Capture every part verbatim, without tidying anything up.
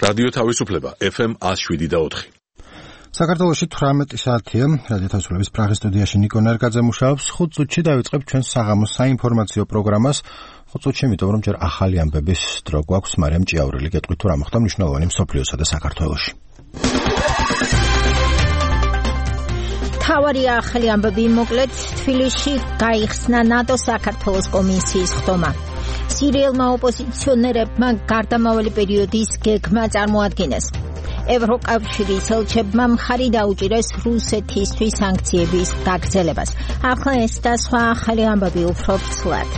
რადიო თავისუფლება ეფ ემ one oh seven და four. საქართველოში თვრამეტი საათია. რადიო თავისუფლების პრაღის სტუდიაში ნიკო ნერგაძე მუშაობს. ხუთ წუთში დავიწყებ ჩვენს საღამოს საინფორმაციო პროგრამას. ხუთ წუთში, იმიტომ რომ ჯერ ახალი ამბების დრო გვაქვს, მარიამ ჭიაურელი გეტყვით თუ რა მოხდა მნიშვნელოვანი მსოფლიოსა და საქართველოში. თავარი ახალი ამბები მოკლედ თბილისში გაიხსნა ნატო საქართველოს კომისიის ხდომა. სირიელმა ოპოზიციონერებმა გარდამავალი პერიოდის გეგმა წარმოადგენეს. ევროკავშირის ელჩებმა მხარი დაუჭირეს რუსეთისთვის სანქციების გაგრძელებას. ახლა ეს და სხვა ახალი ამბები უფრო ცვლად.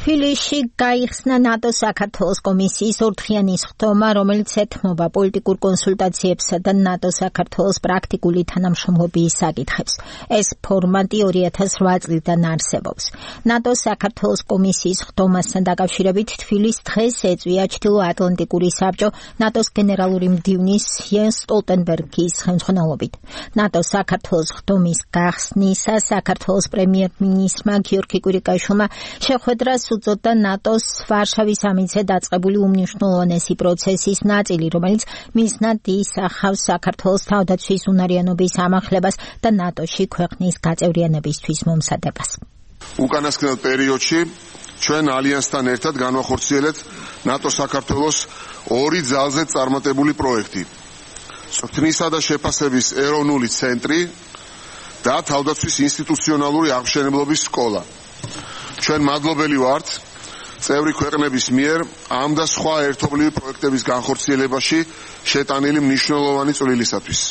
თბილისში გაიხსნა ნატო საქართველოს კომისიის ორდღიანი ხდომა, რომელიც ეთმობა პოლიტიკურ კონსულტაციებსა და ნატო საქართველოს პრაქტიკული თანამშრომლობის საკითხებს. ეს ფორმატი two thousand eight წლიდან არსებობს. ნატო საქართველოს კომისიის ხდომასთან დაკავშირებით თბილისს დღეს ეწვია ჩრდილოატლანტიკური საბჭო ნატოს გენერალური მდივნის იენს სტოლტენბერგის ხელმძღვანელობით. ნატო საქართველოს ხდომის გახსნისას საქართველოს პრემიერ-მინისტრმა გიორგი კვირიკაშვილმა შეხვედრას უწოდა ნატოს ვარშავის სამიტზე დაწყებული უმნიშვნელოვანესი პროცესის ნაწილი, რომელიც მიზნად ისახავს საქართველოს თავდაცვის უნარიანობის ამახლებას და ნატოში ქვეყნის გაწევრიანებისთვის მომზადებას. უკანასკნელ პერიოდში ჩვენ ალიანსთან ერთად განვახორციელეთ ნატო საქართველოს ორი ძალზე წარმატებული პროექტი. სოფთნისა და შეფასების ეროვნული ცენტრი და თავდაცვის ინსტიტუციონალური აღმშენებლობის სკოლა. ჩვენ მადლობელი ვართ წევრი ქვეყნების მიერ ამ და სხვა ერთობლივი პროექტების განხორციელებაში შეტანილი მნიშვნელოვანი წვლილისათვის.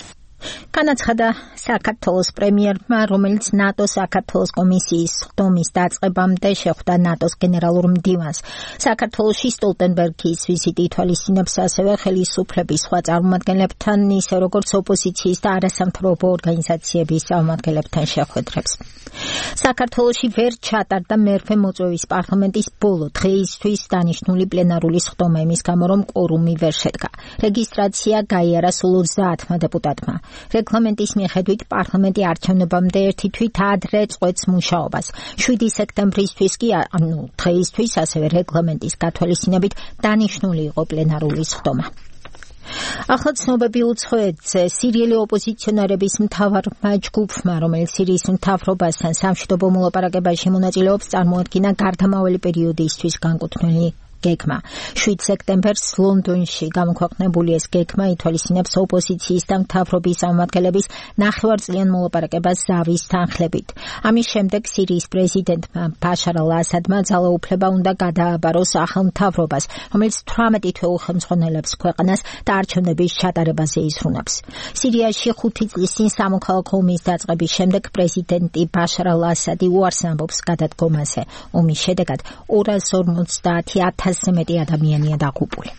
განაცხადა საქართველოს პრემიერმა, რომელიც ნატო საქართველოს კომისიის ხდომის დაწყებამდე შეხვდა ნატოს გენერალურ მდივანს. საქართველოში სტოლტენბერგის ვიზიტი ითვალისწინებს ასევე ხელისუფლების სხვა წარმომადგენლებთან, ისე როგორც ოპოზიციის და არასამთავრობო ორგანიზაციების წარმომადგენლებთან შეხვედრებს. საქართველოში ვერ ჩატარდა მერვე მოწვევის პარლამენტის ბოლო დღეისთვის დანიშნული პლენარული ხდომა იმის გამო, რომ კვორუმი ვერ შედგა. რეგისტრაცია გაიარა სულ ოცდაათმა დეპუტატმა. რეგლამენტის მიხედვით პარლამენტი არჩევნებამდე ერთი თვით ადრე წყვეტს მუშაობას. შვიდი სექტემბრისთვის კი, ანუ დღეისთვის, ასევე რეგლამენტის გათვალისწინებით დანიშნული იყო პლენარული ხდომა. ახლა ცნობები უცხოეთზე. სირიელი ოპოზიციონერების მთავარმა ჯგუფმა, რომელიც სირიის მთავრობასთან სამშვიდობო მოლაპარაკებაში მონაწილეობს, წარმოადგინა გარდამავალი პერიოდისთვის განკუთვნილი გეგმა. შვიდ სექტემბერს ლონდონში გამოქვეყნებული ეს გეგმა ითვალისწინებს ოპოზიციის და მთავრობის წარმომადგენლების ნახევარწლიან მოლაპარაკებას ზავის თანხლებით. ამის შემდეგ სირიის პრეზიდენტმა ბაშარ ალ-ასადმა ძალაუფლება უნდა გადააბაროს ახალ მთავრობას, რომელიც თვრამეტი თვე უხელმძღვანელებს ქვეყანას და არჩევნების ჩატარებაზე იზრუნებს. სირიაში ხუთი წლის წინ სამოქალაქო ომის დაწყების შემდეგ პრეზიდენტი ბაშარ ალ-ასადი უარს ამბობს გადადგომაზე. ომის შედეგად ორას ორმოცდაათი ათასზე მეტი ადამიანია დაღუპული.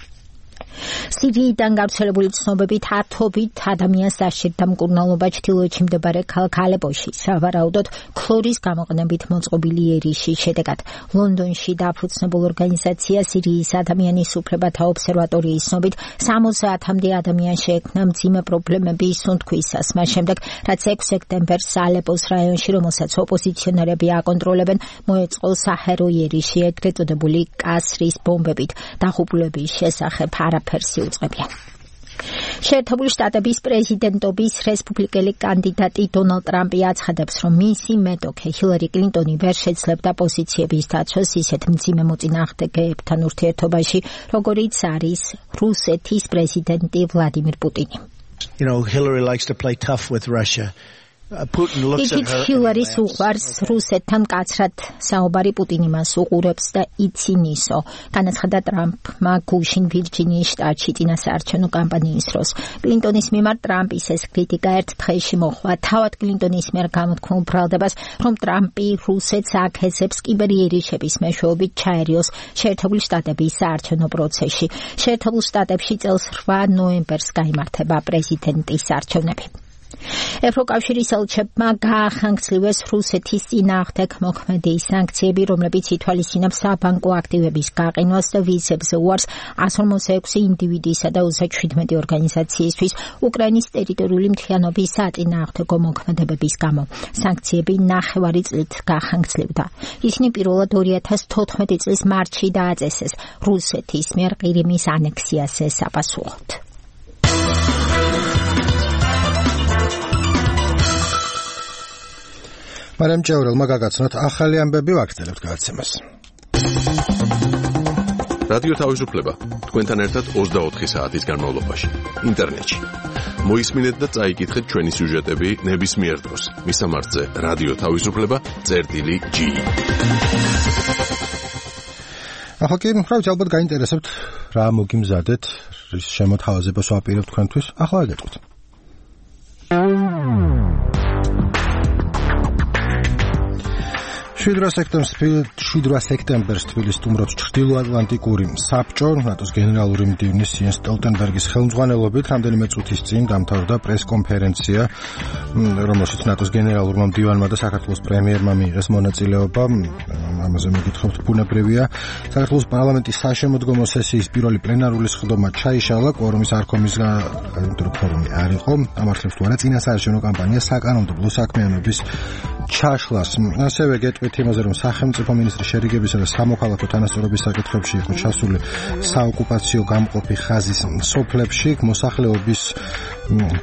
სირიიდან გავრცელებული ცნობებით ათობით ადამიანს დასჭირდა მკურნალობა ჩრდილოეთში მდებარე ქალაქ ალეპოში, სავარაუდოდ ქლორის გამოყენებით მოწყობილი ერიშის შედეგად. ლონდონში დაფუძნებულ ორგანიზაცია სირიის ადამიანის უფლებათა ობსერვატორიის ცნობით სამოცდაათამდე ადამიანს შეექმნა მძიმე პრობლემები სუნთქვისას, მას შემდეგ, რაც ექვსი სექტემბერს ალეპოს რაიონში, რომელსაც ოპოზიციონერები აკონტროლებენ, მოეწყო საჰერო ერიში, ეგრეთ წოდებული კასრის ბომბებით. დაღუპულების შესახებ არაფერს იუწყებიან. შეერთებული შტატების პრეზიდენტობის რესპუბლიკელი კანდიდატი დონალდ ტრამპი აცხადებს, რომ მისი მეტოქე ჰილარი კლინტონი ვერ შეძლებდა პოზიციების დაცვას ისეთ მძიმე მოწინააღმდეგეებთან ურთიერთობაში, როგორიც არის რუსეთის პრეზიდენტი ვლადიმირ პუტინი. You know, Hillary likes to play tough with Russia. Putin looks at her. ჰილარის უყვარს რუსეთთან მკაცრად საუბარი, პუტინი მას უყურებს და იცინისო. განაცხადა ტრამპმა გუშინ ვირჯინიის შტატში წინასაარჩევნო კამპანიის დროს. კლინტონის მიმართ ტრამპის ეს კრიტიკა ერთ დღეში მოჰყვა თავად კლინტონის მიერ გამოთქმულ ბრალდებას, რომ ტრამპი რუსეთს აქեցებს კიბერიერიშების მეშვეობით ჩაერიოს შეერთებული შტატების საარჩევნო პროცესში. შეერთებულ შტატებში წელს რვა ნოემბერს გაიმართება პრეზიდენტის არჩევნები. ევროკავშირის ელჩებმა გაახანგცლივეს რუსეთის წინააღმდეგ მოქმედი სანქციები, რომლებიც ითვალისწინებს საბანკო აქტივების გაყინვას და ვიზებს უარს one forty-six ინდივიდისა და thirty-seven ორგანიზაციისთვის უკრაინის ტერიტორიული მთლიანობის საწინააღმდეგო მოქმედებების გამო. სანქციები ნახევარი წლით გაახანგცლივდა. ისინი პირველად two thousand fourteen წლის მარტში დააწესეს რუსეთის მიერ ყირიმის ანექსიაზე საპასუხოდ. მარიამ ჭეურელმა გაგაცნოთ ახალი ამბები, ვაგრძელებთ გადაცემას. რადიო თავისუფლება თქვენთან ერთად twenty-four საათის განმავლობაში ინტერნეტში. მოისმინეთ და წაიკითხეთ ჩვენი სიუჟეტები ნებისმიერ დროს. მისამართზე რადიო თავისუფლება წერტილი G. ახლა კი ხრავთ ალბათ გაინტერესებთ რა მოგიმზადეთ, რის შემოთავაზებას ვაპირებთ თქვენთვის. ახლა გეტყვით. შვიდ სექტემბერს თბილისს სტუმრობს ჩრდილოატლანტიკური საბჭო. ნატოს გენერალური მდივნის იენს სტოლტენბერგის ხელმძღვანელობით რამდენიმე წუთის წინ დამთავრდა პრესკონფერენცია, რომელშიც ნატოს გენერალურმა მდივანმა და საქართველოს პრემიერმა მიიღეს მონაწილეობა. ამაზე მოგითხრობთ ბუნებრივია. საქართველოს პარლამენტის საშემოდგომო სესიის პირველი პლენარული სხდომა ჩაიშალა, კვორუმის არქომის კორუმი არ იყო. ამართლებს თუ არა წინასაარჩევნო კამპანია საკანონმდებლო საქმიანობის ჩაშლას. ასევე გეტყვით იმაზე, რომ სახელმწიფო მინისტრის შერიგებისა და სამოქალაქო თანასწორობის საკითხებში იყო ჩასული საოკუპაციო გამყოფი ხაზის სოფლებში, მოსახლეობის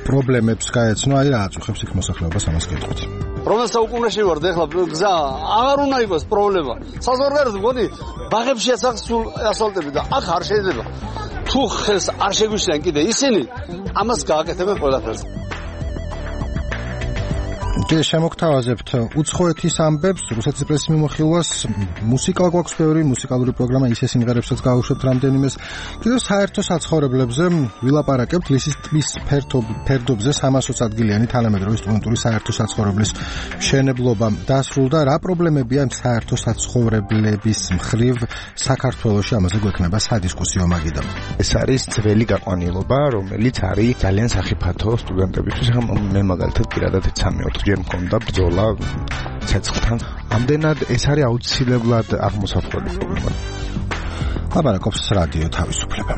პრობლემებს გაეცნო. აი რა აწუხებს იქ მოსახლეობას, ამას გეტყვით. რომელ საუკუნეში ვართ ეხლა გზა აღარ უნდა იყოს პრობლემა. საზღვარგარეთ მგონი ბაღებშია სულ ასფალტები და აქ არ შეიძლება. თუ ხელს არ შეგვიშლიან კიდე ისინი, ამას გააკეთებენ ყველაფერს. ჯერ შემოგთავაზებთ უცხოეთის ამბებს, რუსეთის პრესის მიმოხილვას, მუსიკა გვაქვს ბევრი, მუსიკალური პროგრამა, ისე სიმღერებსაც გავუშვებთ რამდენიმეს. კიდევ საერთო საცხოვრებლებზე ვილაპარაკებთ, ლისის ტბის ფერდობზე three hundred ადგილიანი თანამედროვე სტუდენტური საერთო საცხოვრებლის მშენებლობა დასრულდა. რა პრობლემებია საერთო საცხოვრებლების მხრივ საქართველოში, ამაზე გვექნება სადისკუსიო მაგიდა. ეს არის ძველი გაყვანილობა, რომელიც არის ძალიან სახიფათო სტუდენტებისთვის. მე მაგალითად პირადად სამი-ოთხ ჯერ მქონდა ბრძოლა ცეცხლთან. ამდენად ეს არის აუცილებლად აღმოსავლელი პრობლემა. ლაპარაკობს რადიო თავისუფლება.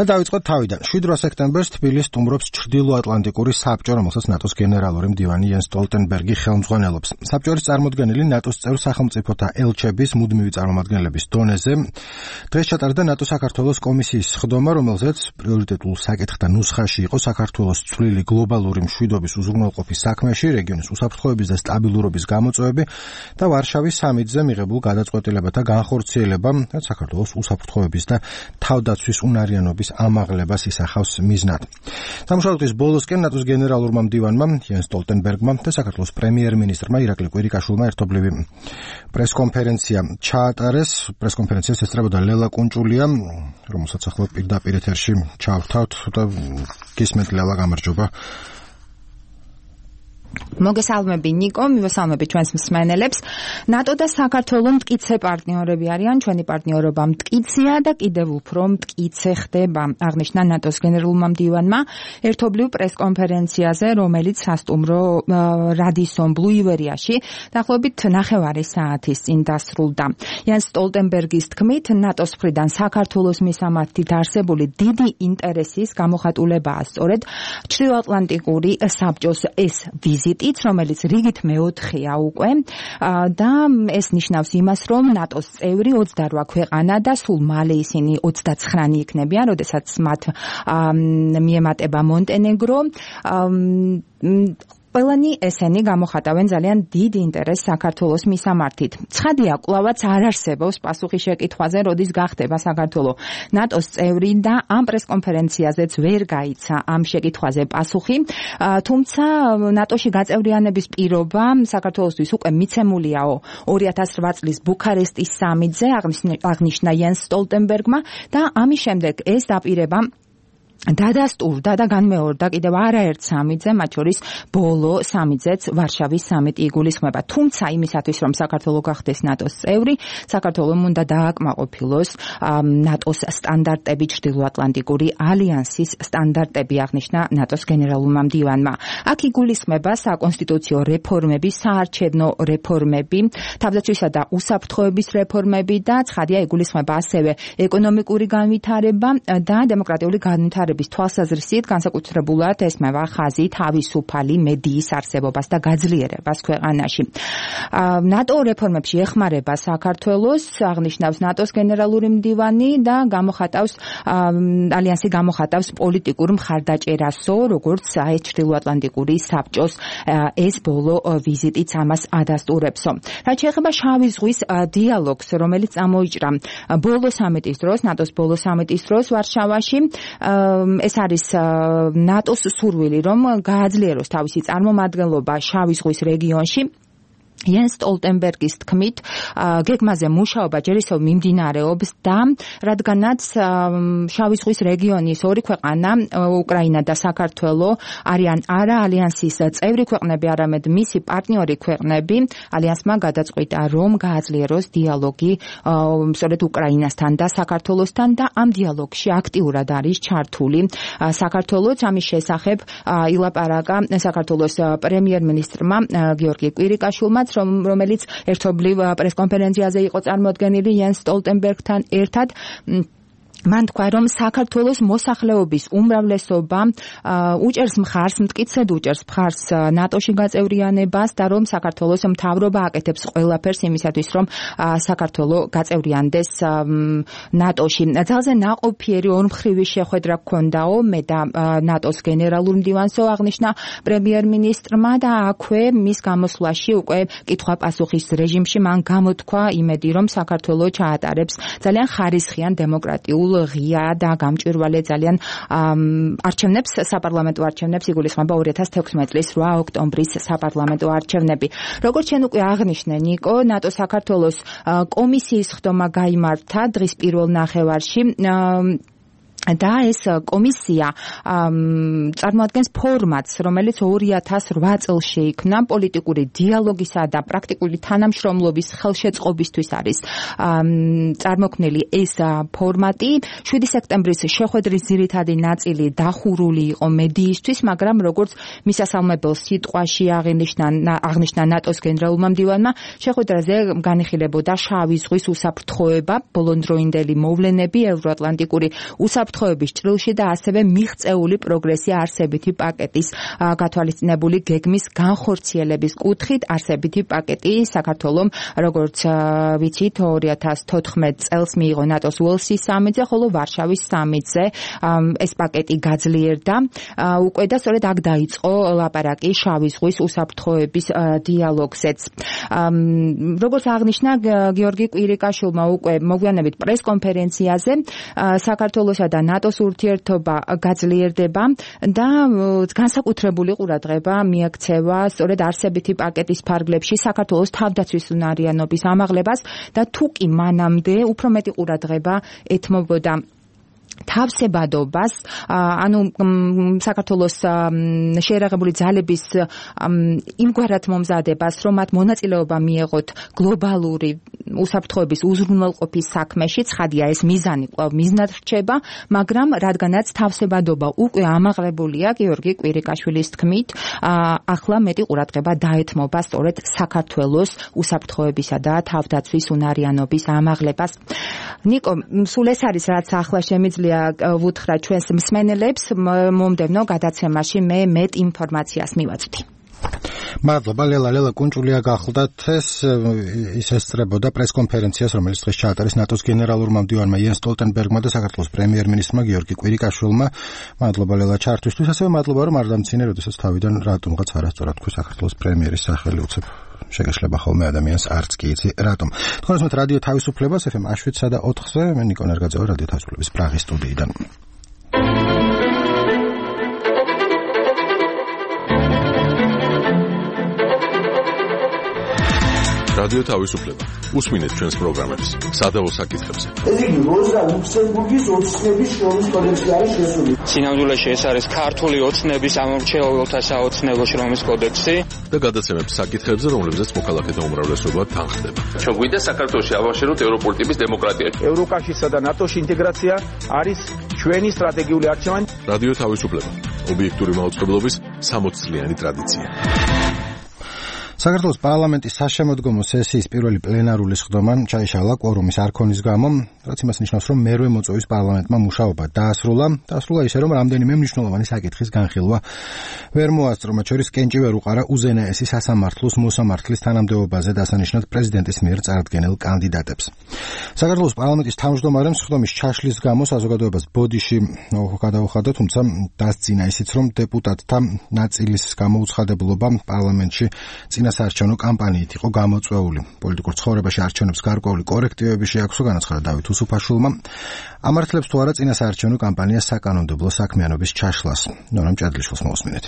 და დავიწყოთ თავიდან. შვიდ სექტემბერს თბილისს სტუმრობს ჩრდილოატლანტიკური საბჭო, რომელსაც ნატოს გენერალური მდივანი იენს სტოლტენბერგი ხელმძღვანელობს. საბჭოს წარმოდგენილი ნატოს წევრ სახელმწიფოთა ელჩების მუდმივი წარმომადგენლების დონეზე დღეს ჩატარდა ნატო საქართველოს კომისიის სხდომა, რომელზეც პრიორიტეტულ საკითხთა ნუსხაში იყო საქართველოს წვლილი გლობალური მშვიდობის უზრუნველყოფის საქმეში, რეგიონის უსაფრთხოების და სტაბილურობის გამოწვევები და ვარშავის სამიტზე მიღებულ გადაწყვეტილებათა განხორციელება, რაც საქართველოს უსაფრთხოების და თავდაცვის უნარიანობის ამაღლებას ისახავს მიზნად. სამშაბათის ბოლოსკენ ნატოს გენერალურმა მდივანმა იენს სტოლტენბერგმა და საქართველოს პრემიერ-მინისტრმა ირაკლი კვირიკაშვილმა ერთობლივი პრესკონფერენცია ჩაატარეს. პრესკონფერენციას ესწრებოდა ლელა კუნჭულია, რომელსაც ახლა პირდაპირ ეთერში ჩავთავთ და გისმენთ ლელა, გამარჯობა. მოგესალმები ნიკო, მივესალმები ჩვენს მსმენელებს. ნატო და საქართველო მტკიცე პარტნიორები არიან, ჩვენი პარტნიორობა მტკიცეა და კიდევ უფრო მტკიცე ხდება, აღნიშნა ნატოს გენერალურმა მდივანმა ერთობლივ პრესკონფერენციაზე, რომელიც სასტუმრო რადისონ ბლუ ივერიაში დაახლოებით ნახევარი საათის წინ დასრულდა. იენს სტოლტენბერგის თქმით, ნატოს მხრიდან საქართველოს მისამართით არსებული დიდი ინტერესის გამოხატულებაა სწორედ ჩრდილოატლანტიკური საბჭოს ეს ვიზიტიც, რომელიც რიგით მეოთხეა უკვე და ეს ნიშნავს იმას, რომ ნატოს წევრი ოცდარვა ქვეყანა და სულ მალე ისინი ოცდაცხრა იქნებიან, როდესაც მათ მიემატება მონტენეგრო. ყველანი ესენი გამოხატავენ ძალიან დიდ ინტერესს საქართველოს მისამართით. ცხადია, კვლავაც არ არსებობს პასუხი შეკითხვაზე, როდის გახდება საქართველო ნატოს წევრი და ამ პრესკონფერენციაზეც ვერ გაიცა ამ შეკითხვაზე პასუხი. თუმცა ნატოში გაწევრიანების პირობა საქართველოსთვის უკვე მიცემულიაო ორი ათას რვა წლის ბუქარესტის სამიტზე, აღნიშნა იენს სტოლტენბერგმა და ამის შემდეგ ეს დაპირება დადასტურდა და განმეორდა კიდევ არაერთ სამიტზე, მათ შორის ბოლო სამიტზეც ვარშავის სამიტი იგულისხმება. თუმცა იმისათვის, რომ საქართველო გახდეს ნატოს წევრი, საქართველომ უნდა დააკმაყოფილოს ნატოს სტანდარტები, ჩრდილოატლანტიკური ალიანსის სტანდარტები, აღნიშნა ნატოს გენერალურმა მდივანმა. აქ იგულისხმება საკონსტიტუციო რეფორმები, საარჩევნო რეფორმები, თავდაცვისა და უსაფრთხოების რეფორმები და ცხადია იგულისხმება ასევე ეკონომიკური განვითარება და დემოკრატიული განვითარება. თვალსაზრისით განსაკუთრებულად ესმევა ხაზი თავისუფალი მედიის არსებობას და გაძლიერებას ქვეყანაში. ნატო რეფორმებში ეხმარება საქართველოს, აღნიშნავს ნატოს გენერალური მდივანი და გამოხატავს ალიანსი გამოხატავს პოლიტიკურ მხარდაჭერასო, როგორც ეს ჩრდილოატლანტიკური საბჭოს ეს ბოლო ვიზიტიც ამას ადასტურებსო. რაც შეეხება შავი ზღვის დიალოგს, რომელიც წამოიჭრა ბოლო სამიტის დროს, ნატოს ბოლო სამიტის დროს ვარშავაში, ეს არის ნატოს სურვილი, რომ გააძლიეროს თავისი წარმომადგენლობა შავი ზღვის რეგიონში. Jens Stoltenbergis თქმით, გეგმაზე მუშაობა ჯერ ისევ მიმდინარეობს და რადგანაც შავი ზღვის რეგიონის ორი ქვეყანა, უკრაინა და საქართველო, არიან არა ალიანსის წევრი ქვეყნები, არამედ მისი პარტნიორი ქვეყნები, ალიანსმა გადაწყვიტა, რომ გააძლიეროს დიალოგი სწორედ უკრაინასთან და საქართველოსთან და ამ დიალოგში აქტიურად არის ჩართული საქართველოც. ამის შესახებ ილაპარაკა საქართველოს პრემიერ-მინისტრმა გიორგი კვირიკაშვილმა, რომელიც ერთობლივ პრესკონფერენციაზე იყო წარმოდგენილი Jens Stoltenbergთან ერთად. მან თქვა, რომ საქართველოს მოსახლეობის უმრავლესობა უჭერს მხარს, მტკიცედ უჭერს მხარს ნატოში გაწევრიანებას და რომ საქართველოს მთავრობა აკეთებს ყველაფერს იმისათვის, რომ საქართველო გაწევრიანდეს ნატოში. ძალზე ნაყოფიერი ორმხრივი შეხვედრა ჰქონდაო მე და ნატოს გენერალურ მდივანსო, აღნიშნა პრემიერ-მინისტრმა და აქვე მის გამოსვლაში უკვე კითხვა-პასუხის რეჟიმში მან გამოთქვა იმედი, რომ საქართველო ჩაატარებს ძალიან ხარისხიან დემოკრატიულ ღია და გამჭვირვალე ძალიან არჩევნებს, საპარლამენტო არჩევნებს, იგულისხმება ორი ათას თექვსმეტი წლის რვა ოქტომბრის საპარლამენტო არჩევნები. როგორც შენ უკვე აღნიშნე, ნიკო, ნატო საქართველოს კომისიის ხდომა გაიმართა დღის პირველ ნახევარში. და ეს კომისია წარმოადგენს ფორმატს, რომელიც ორი ათას რვა წელს შეიქმნა პოლიტიკური დიალოგისა და პრაქტიკული თანამშრომლობის ხელშეწყობისთვის არის წარმოქმნილი ეს ფორმატი. შვიდი სექტემბრის შეხვედრის ძირითადი ნაწილი დახურული იყო მედიისთვის, მაგრამ როგორც მისასალმებელ სიტყვაში აღნიშნა აღნიშნა ნატოს გენერალურმა მდივანმა, შეხვედრაზე განიხილებოდა შავი ზღვის უსაფრთხოება, ბოლონდროინდელი მოვლენები, ევროატლანტიკური უსაფრთხოების ჭრილში და ასევე მიღწეული პროგრესი არსებითი პაკეტის გათვალისწინებული გეგმის განხორციელების კუთხით. არსებითი პაკეტი საქართველომ, როგორც ვიცით, ორი ათას თოთხმეტი წელს მიიღო ნატოს უელსის სამიტზე, ხოლო ვარშავის სამიტზე ეს პაკეტი გაძლიერდა. უკვე და სწორედ აქ დაიწყო ლაპარაკი შავი ზღვის უსაფრთხოების დიალოგზეც. როგორც აღნიშნა გიორგი კვირიკაშვილმა უკვე მოგვიანებით პრესკონფერენციაზე, საქართველოსა და ნატოს ურთიერთობა გაძლიერდება და განსაკუთრებული ყურადღება მიაქცევა სწორედ არსებითი პაკეტის ფარგლებში საქართველოს თავდაცვის უნარიანობის ამაღლებას და თუ კი მანამდე უფრო მეტი ყურადღება ეთმობოდა თავსებადობას, ანუ საქართველოს შეერაღებული ძალების იმგვარად მომზადებას, რომ მათ მონაწილეობა მიეღოთ გლობალური უსაფრთხოების უზრუნველყოფის საქმეში, ცხადია ეს მიზანი კვლავ მიზნად რჩება, მაგრამ რადგანაც თავსებადობა უკვე ამაღლებულია, გიორგი კვირიკაშვილის თქმით, ახლა მეტი ყურადღება დაეთმობა სწორედ საქართველოს უსაფრთხოებისა და თავდაცვის უნარიანობის ამაღლებას. ნიკო, სულ ეს არის, რაც ახლა შემიძლია ვუთხრა ჩვენს მსმენელებს, მომდევნო გადაცემაში მე მეტ ინფორმაციას მივაწვდი. მადლობა ლელა ლელა კუნჭულია გახლდათ ეს ის ესწრებოდა პრესკონფერენციას, რომელიც დღეს ჩაატარეს ნატოს გენერალურმა მდივანმა იენს სტოლტენბერგმა და საქართველოს პრემიერ-მინისტრმა გიორგი კვირიკაშვილმა. მადლობა ლელა ჩართვისთვის, ასევე მადლობა რომ არ დამცინე, როდესაც თავიდან რატომღაც არასწორად თქვი საქართველოს პრემიერის სახელი უცებ შეგეშლება ხოლმე ადამიანს არც კი იცი რატომ. თქვენ უსმენთ რადიო თავისუფლებას ეფ ემ შვიდსა და ოთხზე, მე ნიკო ნერგაძევა რადიო თავისუფლების პრაღის სტუდიიდან. რადიო თავისუფლება. უსმინეთ ჩვენს პროგრამებს სადავო საკითხებზე. ეს იგი როზა ლუქსემბურგის ოცნების შრომის კოდექსი არის შესული. სინამდვილეში ეს არის ქართული ოცნების ამორჩეულთა საოცნებო შრომის კოდექსი და გადაცემებს საკითხებზე, რომლებზეც მოქალაქეთა უმრავლესობა თანხდება. ჩვენ გვინდა საქართველოში ავაშენოთ ევროპული ტიპის დემოკრატია. ევროკავშირსა და ნატოში ინტეგრაცია არის ჩვენი სტრატეგიული არჩევანი. რადიო თავისუფლება. ობიექტური მაუწყებლობის სამოც წლიანი ტრადიცია. საქართველოს პარლამენტის საშემოდგომო სესიის პირველი პლენარული სხდომა ჩაიშალა კვორუმის არ ქონის გამო, რაც იმას ნიშნავს, რომ მერვე მოწვევის პარლამენტმა მუშაობა დაასრულა, დაასრულა ისე, რომ რამდენიმე მნიშვნელოვანი საკითხის განხილვა ვერ მოასწრო, მათ შორის კენჭი ვერ უყარა უზენაესი სასამართლოს მოსამართლის თანამდებობაზე დასანიშნად პრეზიდენტის მიერ წარდგენილ კანდიდატებს. საქართველოს პარლამენტის თავმჯდომარემ სხდომის ჩაშლის გამო საზოგადოებას ბოდიში გადაუხადა, თუმცა დასძინა ისიც, რომ დეპუტატთა ნაწილის გამოუცხადებულობა პარლამენტში წინასაარჩევნო კამპანიით იყო გამოწვეული. პოლიტიკურ ცხოვრებაში არჩევნებს გარკვეული კორექტივები შეაქვსო, განაცხადა დავით უსუფაშვილმა. ამართლებს თუ არა წინასაარჩევნო კამპანიას საკანონმდებლო საქმიანობის ჩაშლას. ნორამ ჭადლიშვილს მოусმინეთ.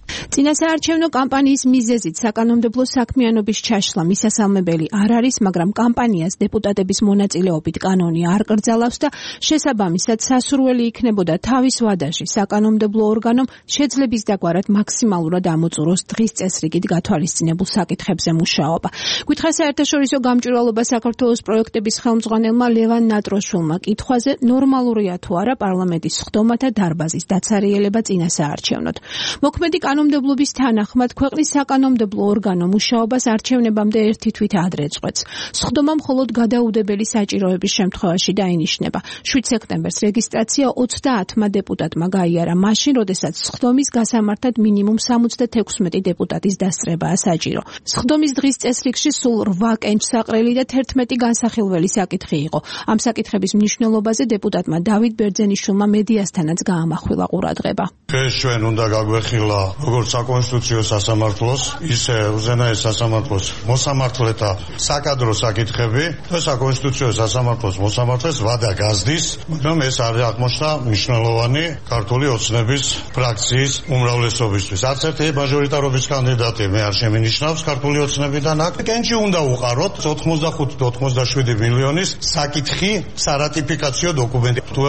წინასაარჩევნო კამპანიის მიზეზით საკანონმდებლო საქმიანობის ჩაშლა მისასალმებელი არ არის, მაგრამ კამპანიას დეპუტატების მონაწილეობით კანონი არ კრძალავს და შესაბამისად სასურველი იქნებოდა თავის ვადაში საკანონმდებლო ორგანომ შეძლების დაგვარად მაქსიმალურად ამოწუროს დღის წესრიგით გათვალისწინებულ საკითხებზე მუშაობა. გითხრა საერთაშორისო გამჭვირვალობა საქართველოს პროექტების ხელმძღვანელმა ლევან ნატროშვილმა კითხვაზე, ნორმალურია თუ არა პარლამენტის სხდომათა დარბაზის დაცარიელება წინასაარჩევნოდ. მოქმედი კანონმდებლობის თანახმად ქვეყნის საკანონმდებლო ორგანო მუშაობას არჩევნებამდე ერთი თვით ადრე წყვეტს. სხდომა მხოლოდ გადაუდებელი საჭიროების შემთხვევაში დაინიშნება. შვიდ სექტემბერს რეგისტრაცია ოცდაათმა დეპუტატმა გაიარა მაშინ, როდესაც სხდომის გასამართად მინიმუმ სამოცდათექვსმეტი დეპუტატის დასწრებაა საჭირო. სხდომის დღის წესრიგში სულ რვა კენჭსაყრელი და თერთმეტი განსახილველი საკითხი იყო. ამ საკითხების მნიშვნელობაზე დეპუტატმა დავით ბერძენიშვილმა მედიასთანაც გაამახვილა ყურადღება. ეს ჩვენ უნდა გაგვეხილა როგორც საკონსტიტუციო სასამართლოს, ისე უზენაეს სასამართლოს მოსამართლეთა საკადრო საკითხები და საკონსტიტუციო სასამართლოს მოსამართლეს ვადა გაზდის, მაგრამ ეს არ აღმოჩნდა მნიშვნელოვანი ქართული ოცნების ფრაქციის უმრავლესობისთვის. არც ერთი მაჟორიტარობის კანდიდატი მე არ შემინიშნავს ქართული ოცნებიდან. აქ კენჭი უნდა უყაროთ ოთხმოცდახუთი ოცდაშვიდი მილიონის საკითხი სარატიფიკაციო დოკუმენტი. თუ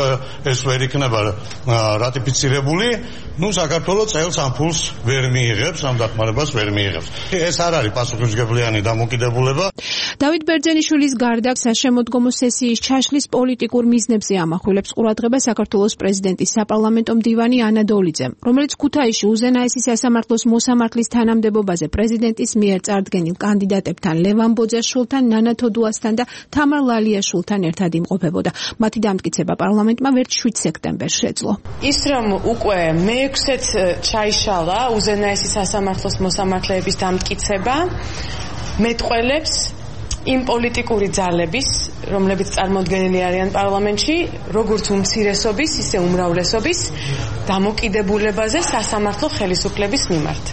ეს ვერ იქნება რატიფიცირებული, ნუ საქართველოს წელს ამ ფულს ვერ მიიღებს, ამ დახმარებას ვერ მიიღებს. ეს არ არის პასუხისმგებლიანი დამოკიდებულება. დავით ბერძენიშვილის გარდა საშემოდგომო სესიის ჩაშლის პოლიტიკურ მიზნებზე ამახვილებს ყურადღება საქართველოს პრეზიდენტის საპარლამენტო მდივანი ანა დოლიძემ, რომელიც ქუთაისში უზენაესი სასამართლოს მოსამართლის თანამდებობაზე პრეზიდენტის მიერ წარდგენილ კანდიდატებთან ლევან ბოძაშვილთან, ნანა თოდუასთან და თამარ ლალიაშვილთან ერთად იმყოფებოდა. მათი დამტკიცება პარლამენტმა ვერც შვიდ სექტემბერს შეძლო. ის რომ უკვე მეექვსეც ჩაიშალა უზენაესი სასამართლოს მოსამართლეების დამტკიცება, მეტყველებს იმ პოლიტიკური ძალების, რომლებიც წარმოდგენილი არიან პარლამენტში, როგორც უმცირესობის, ისე უმრავლესობის დამოკიდებულებაზე სასამართლო ხელისუფლების მიმართ.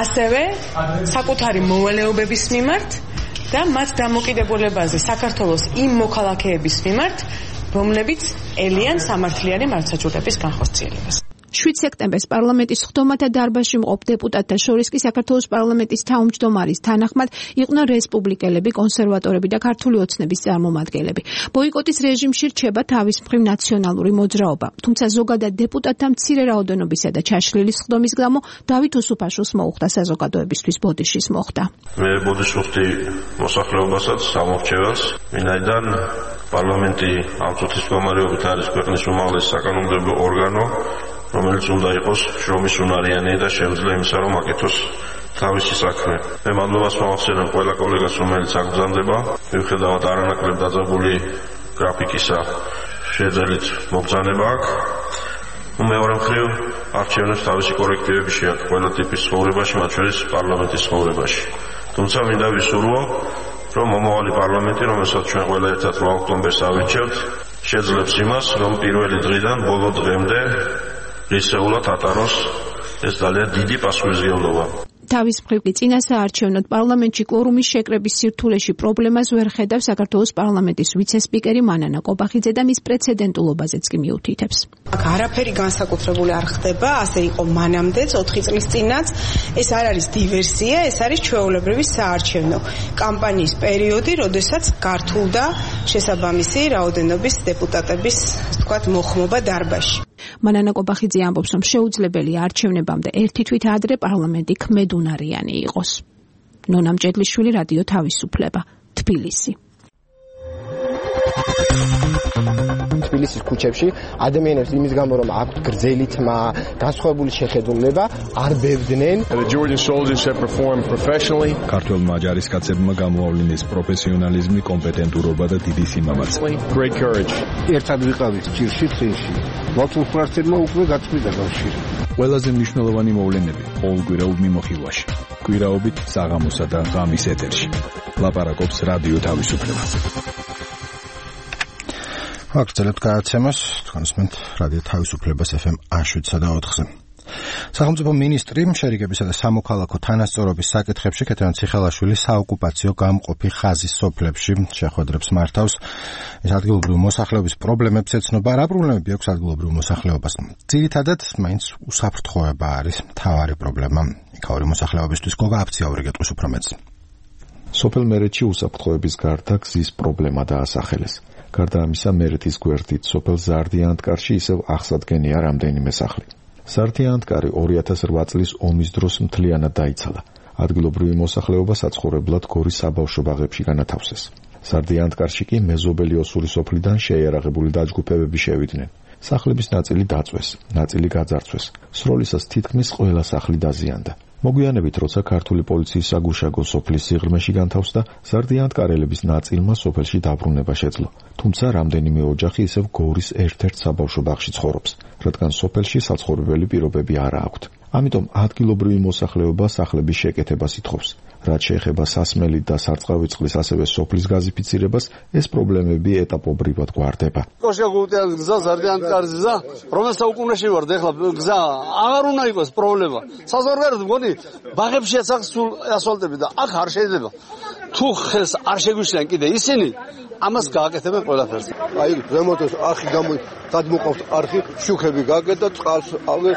ასევე საკუთარი მოვალეობების მიმართ და მათ დამოკიდებულებაზე საქართველოს იმ მოქალაქეების მიმართ, რომლებიც ელიან სამართლიანი მართლმსაჯულების განხორციელებას. შვიდ სექტემბერს პარლამენტის სხდომათა დარბაზში მყოფ დეპუტატთა შორის კი საქართველოს პარლამენტის თავმჯდომარის თანახმად იყვნენ რესპუბლიკელები, კონსერვატორები და ქართული ოცნების წარმომადგენლები. ბოიკოტის რეჟიმში რჩება თავის მხრივ ნაციონალური მოძრაობა, თუმცა ზოგადად დეპუტატთა მცირე რაოდენობისა და ჩაშლილი სხდომის გამო დავით უსუფაშვილს მოუხდა საზოგადოებისთვის ბოდიშის მოხდა. მე ბოდიშს ვუხდი მოსახლეობასაც, სამორჩევას, ვინაიდან პარლამენტი ამ წუთის მდგომარეობით არის ქვეყნის უმაღლესი საკანონმდებლო ორგანო, რომელიც უნდა იყოს შრომის უნარიანი და შეუძლია იმისა, რომ აკეთოს თავისი საქმე. მე მადლობას მოვახსენებ ყველა კოლეგას, რომელიც აგზავნება, მიუხედავად არანაკლებ დაძაბული გრაფიკისა, შეძლეთ მობრძანება აქვს. მეორე მხრივ, არჩევნებს თავისი კორექტივები შეაქვს ყველა ტიპის ცხოვრებაში, მათ შორის პარლამენტის ცხოვრებაში. თუმცა მინდა ვისურვო, რომ მომავალი პარლამენტი, რომელსაც ჩვენ ყველა ერთად რვა ოქტომბერს ავირჩევთ, შეძლებს იმას, რომ პირველი დღიდან ბოლო დღემდე რისეულად ატაროს ეს ძალიან დიდი პასუხისმგებლობა. თავის მხრივ კი წინასაარჩევნოდ პარლამენტში კვორუმის შეკრების სირთულეში პრობლემას ვერ ხედავს საქართველოს პარლამენტის ვიცე-სპიკერი მანანა კობახიძე და მის პრეცედენტულობაზეც კი მიუთითებს. აქ არაფერი განსაკუთრებული არ ხდება, ასე იყო მანამდეც ოთხი წლის წინაც. ეს არ არის დივერსია, ეს არის ჩვეულებრივი საარჩევნო კამპანიის პერიოდი, როდესაც გართულდა შესაბამისი რაოდენობის დეპუტატების, თქვათ, მოხმობა დარბაზში. მანანა კობახიძე ამბობს, რომ შეუძლებელია არჩევნებამდე ერთი თვით ადრე პარლამენტი ქმედუნარიანი იყოს. ნონა მჭედლიშვილი, რადიო თავისუფლება, თბილისი. თბილისის ქუჩებში ადამიანებს იმის გამო რომ აქვთ გრძელი თმა, განსხვავებული შეხედულება, არ ბევდნენ. ქართველმა ჯარისკაცებმა გამოავლინეს პროფესიონალიზმი, კომპეტენტურობა და დიდი სიმამაცე. ერთად ვიყავით ჭირში წინში. მართლმსვენებმა უკვე გაწყვიტა კავშირი. ყველაზე მნიშვნელოვანი მოვლენები ყოველკვირეულ მიმოხილვაში. კვირაობით საღამოსა და ღამის ეთერში. ლაპარაკობს რადიო თავისუფლება. ვაგრძელებთ გადაცემას, თქვენსმენთ რადიო თავისუფლებას ეფ ემ შვიდსა და ოთხზე. სახელმწიფო მინისტრი შერიგებისა და სამოქალაქო თანასწორობის საკითხებში ქეთევან ციხელაშვილი საოკუპაციო გამყოფი ხაზის სოფლებში შეხვედრებს მართავს. ეს ადგილობრივი მოსახლეობის პრობლემებს ეცნობა. რა პრობლემები აქვს ადგილობრივ მოსახლეობას? ძირითადად მაინც უსაფრთხოება არის მთავარი პრობლემა. იქაური მოსახლეობისთვის გოგა აფციაური გეტყვის უფრო მეც. სოფელ მერეთში უსაფრთხოების გარდა გზის პრობლემა დაასახელეს. გარდა ამისა, მერეთის გვერდით სოფელ ზარდიანთკარში ისევ აღსადგენია რამდენიმე სახლი. ზარდიანთკარი ორი ათას რვა წლის ომის დროს მთლიანად დაიცალა. ადგილობრივი მოსახლეობა საცხოვრებლად გორის საბავშვო ბაღებში განათავსეს. ზარდიანთკარში კი მეზობელი ოსური სოფლიდან შეიარაღებული დაჯგუფებები შევიდნენ. სახლების ნაწილი დაწვეს, ნაწილი გაძარცვეს. სროლისას თითქმის ყველა სახლი დაზიანდა. მოგვიანებით, როცა ქართული პოლიციის საგუშაგო სოფლის სიღრმეში განთავსდა, ზარდიანთკარელების ნაწილმა სოფელში დაბრუნება შეძლო. თუმცა რამდენიმე ოჯახი ისევ გორის ერთ-ერთ საბავშვო ბაღში ცხოვრობს, რადგან სოფელში საცხოვრებელი პირობები არ აქვთ. ამიტომ ადგილობრივი მოსახლეობა სახლების შეკეთებას ითხოვს. რაც შეეხება სასმელით და სარწყავი წყლის, ასევე სოფლის გაზიფიცირებას, ეს პრობლემები ეტაპობრივად გვარდება. კოშაგუტეას გზა, ზარდიანთკარის გზა, რომელსაც უკუნეში ვარ, ეხლა გზა აღარ უნდა იყოს პრობლემა. საზღვარგარეთ მგონი ბაღებშიაც აქ სულ ასფალტები და აქ არ შეიძლება. თუ ხელს არ შეგვიშლიან კიდე ისინი, ამას გააკეთებენ ყველაფერს. აი, ზემოთოს არხი გამო გადმოყავთ არხი, შუქები გააკეთა, წყალს ავე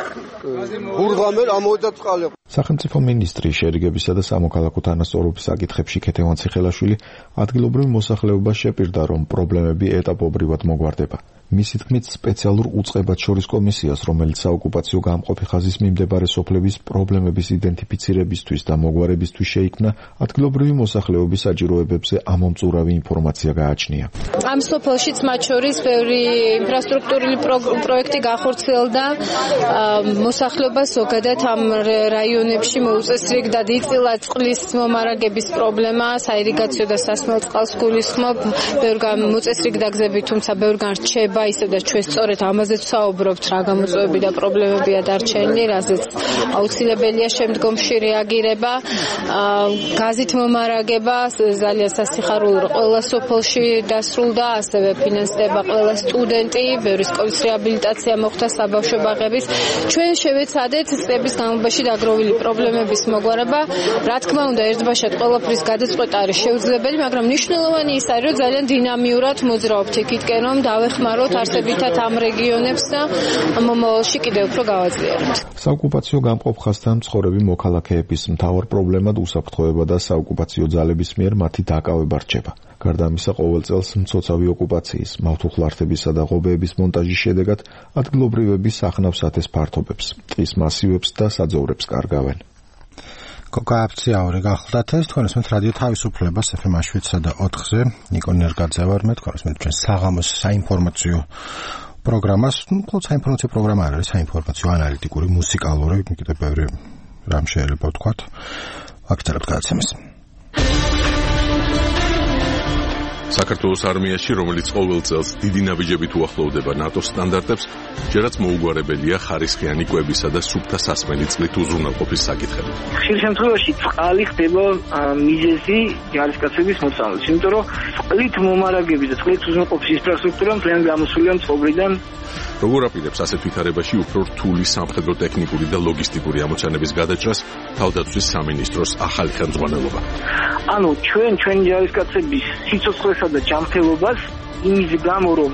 ბურღამელ ამოვიდა წყალი. სახელმწიფო მინისტრი შერიგებისა და სამოქალაქო თანასწორობის საკითხებში ქეთევან ციხელაშვილი ადგილობრივ მოსახლეობას შეპირდა, რომ პრობლემები ეტაპობრივად მოგვარდება. მისი თქმით, სპეციალურ უწყებად შორის კომისიას, რომელიც საოკუპაციო გამყოფი ხაზის მიმდებარე სოფლების პრობლემების იდენტიფიცირებისთვის და მოგვარებისთვის შეიქმნა, ადგილობრივი მოსახლეობის საჭიროებებზე ამომწურავი ინფორმაცია გააჩნია. ამ სოფელშიც მათ შორის ბევრი ინფრასტრუქტურული პროექტი გახორციელდა. მოსახლეობა ზოგადად ამ რაიონებში მოუწესრიგდა დიწილა წყლის მომარაგების პრობლემა, საირიგაციო და სასმელ წყალს გულისხმობ, ბევრგან მოწესრიგდა გზები, თუმცა ბევრგან რჩება. ისევ და ჩვენ სწორედ ამაზეც საუბრობთ, რა გამოწვევები და პრობლემებია დარჩენილი, რაზეც აუცილებელია შემდგომში რეაგირება. გაზით მომარაგება ძალიან სასიხარულო ყველა სოფელში დასრულდა, ასევე ფინანსდება ყველა სტუდენტი, ბევრი სკოლის რეაბილიტაცია მოხდა საბავშვო ბაღების. ჩვენ შევეცადეთ წლების განმავლობაში დაგროვილი პრობლემების მოგვარება. რა თქმა უნდა, ერთბაშად ყველაფრის გადაწყვეტა არის შეუძლებელი, მაგრამ მნიშვნელოვანი ის არის, რომ ძალიან დინამიურად მოძრაობთ იქითკენ, რომ დავეხმაროთ არსებითად ამ რეგიონებს და მომავალში კიდევ უფრო გავაძლიეროთ. საოკუპაციო გამყოფ ხაზთან მცხოვრები მოქალაქეების მთავარ პრობლემად უსაფრთხოება და საოკუპაციო ძალების მიერ მათი დაკავება რჩება. გარდა ამისა, ყოველ წელს მცოცავი ოკუპაციის, მავთუხლართებისა და ღობეების მონტაჟის შედეგად ადგილობრივები სახნავს ათეს ფართობებს, ტყის მასივებს და საძოვრებს კარგავენ. გოგა აფციაური გახლდათ ეს თქვენსმენთ რადიო თავისუფლებას ეფ ემ შვიდსა და ოთხზე. ნიკო ნერგაძე ვარ მე, თქვენსმენთ ჩვენ საღამოს საინფორმაციო პროგრამას, ну, ხო, საინფორმაციო პროგრამა არის, საინფორმაციო ანალიტიკური, მუსიკალური, კიდევ ბევრი რამ შეიძლება ვთქვათ. ვაგრძელებთ გადაცემას. საქართველოს არმიაში, რომელიც ყოველ წელს დიდი ნაბიჯებით უახლოვდება ნატოს სტანდარტებს, ჯერაც მოუგვარებელია ხარისხიანი კვებისა და სუფთა სასმელი წყლით უზრუნველყოფის საკითხები. ხშირ შემთხვევაში წყალი ხდება მიზეზი ჯარისკაცების მოწამვლის, იმიტომ რომ წყლით მომარაგების და წყლით უზრუნველყოფის ინფრასტრუქტურა მთლიან გამოსულია წყობრიდან. როგორ აპირებს ასეთ ვითარებაში უფრო რთული სამხედრო ტექნიკური და ლოგისტიკური ამოცანების გადაჭრას თავდაცვის სამინისტროს ახალი ხელმძღვანელობა? ანუ ჩვენ ჩვენი ჯარისკაცების სიცოცხლესა და ჯანმრთელობას იმის გამო რომ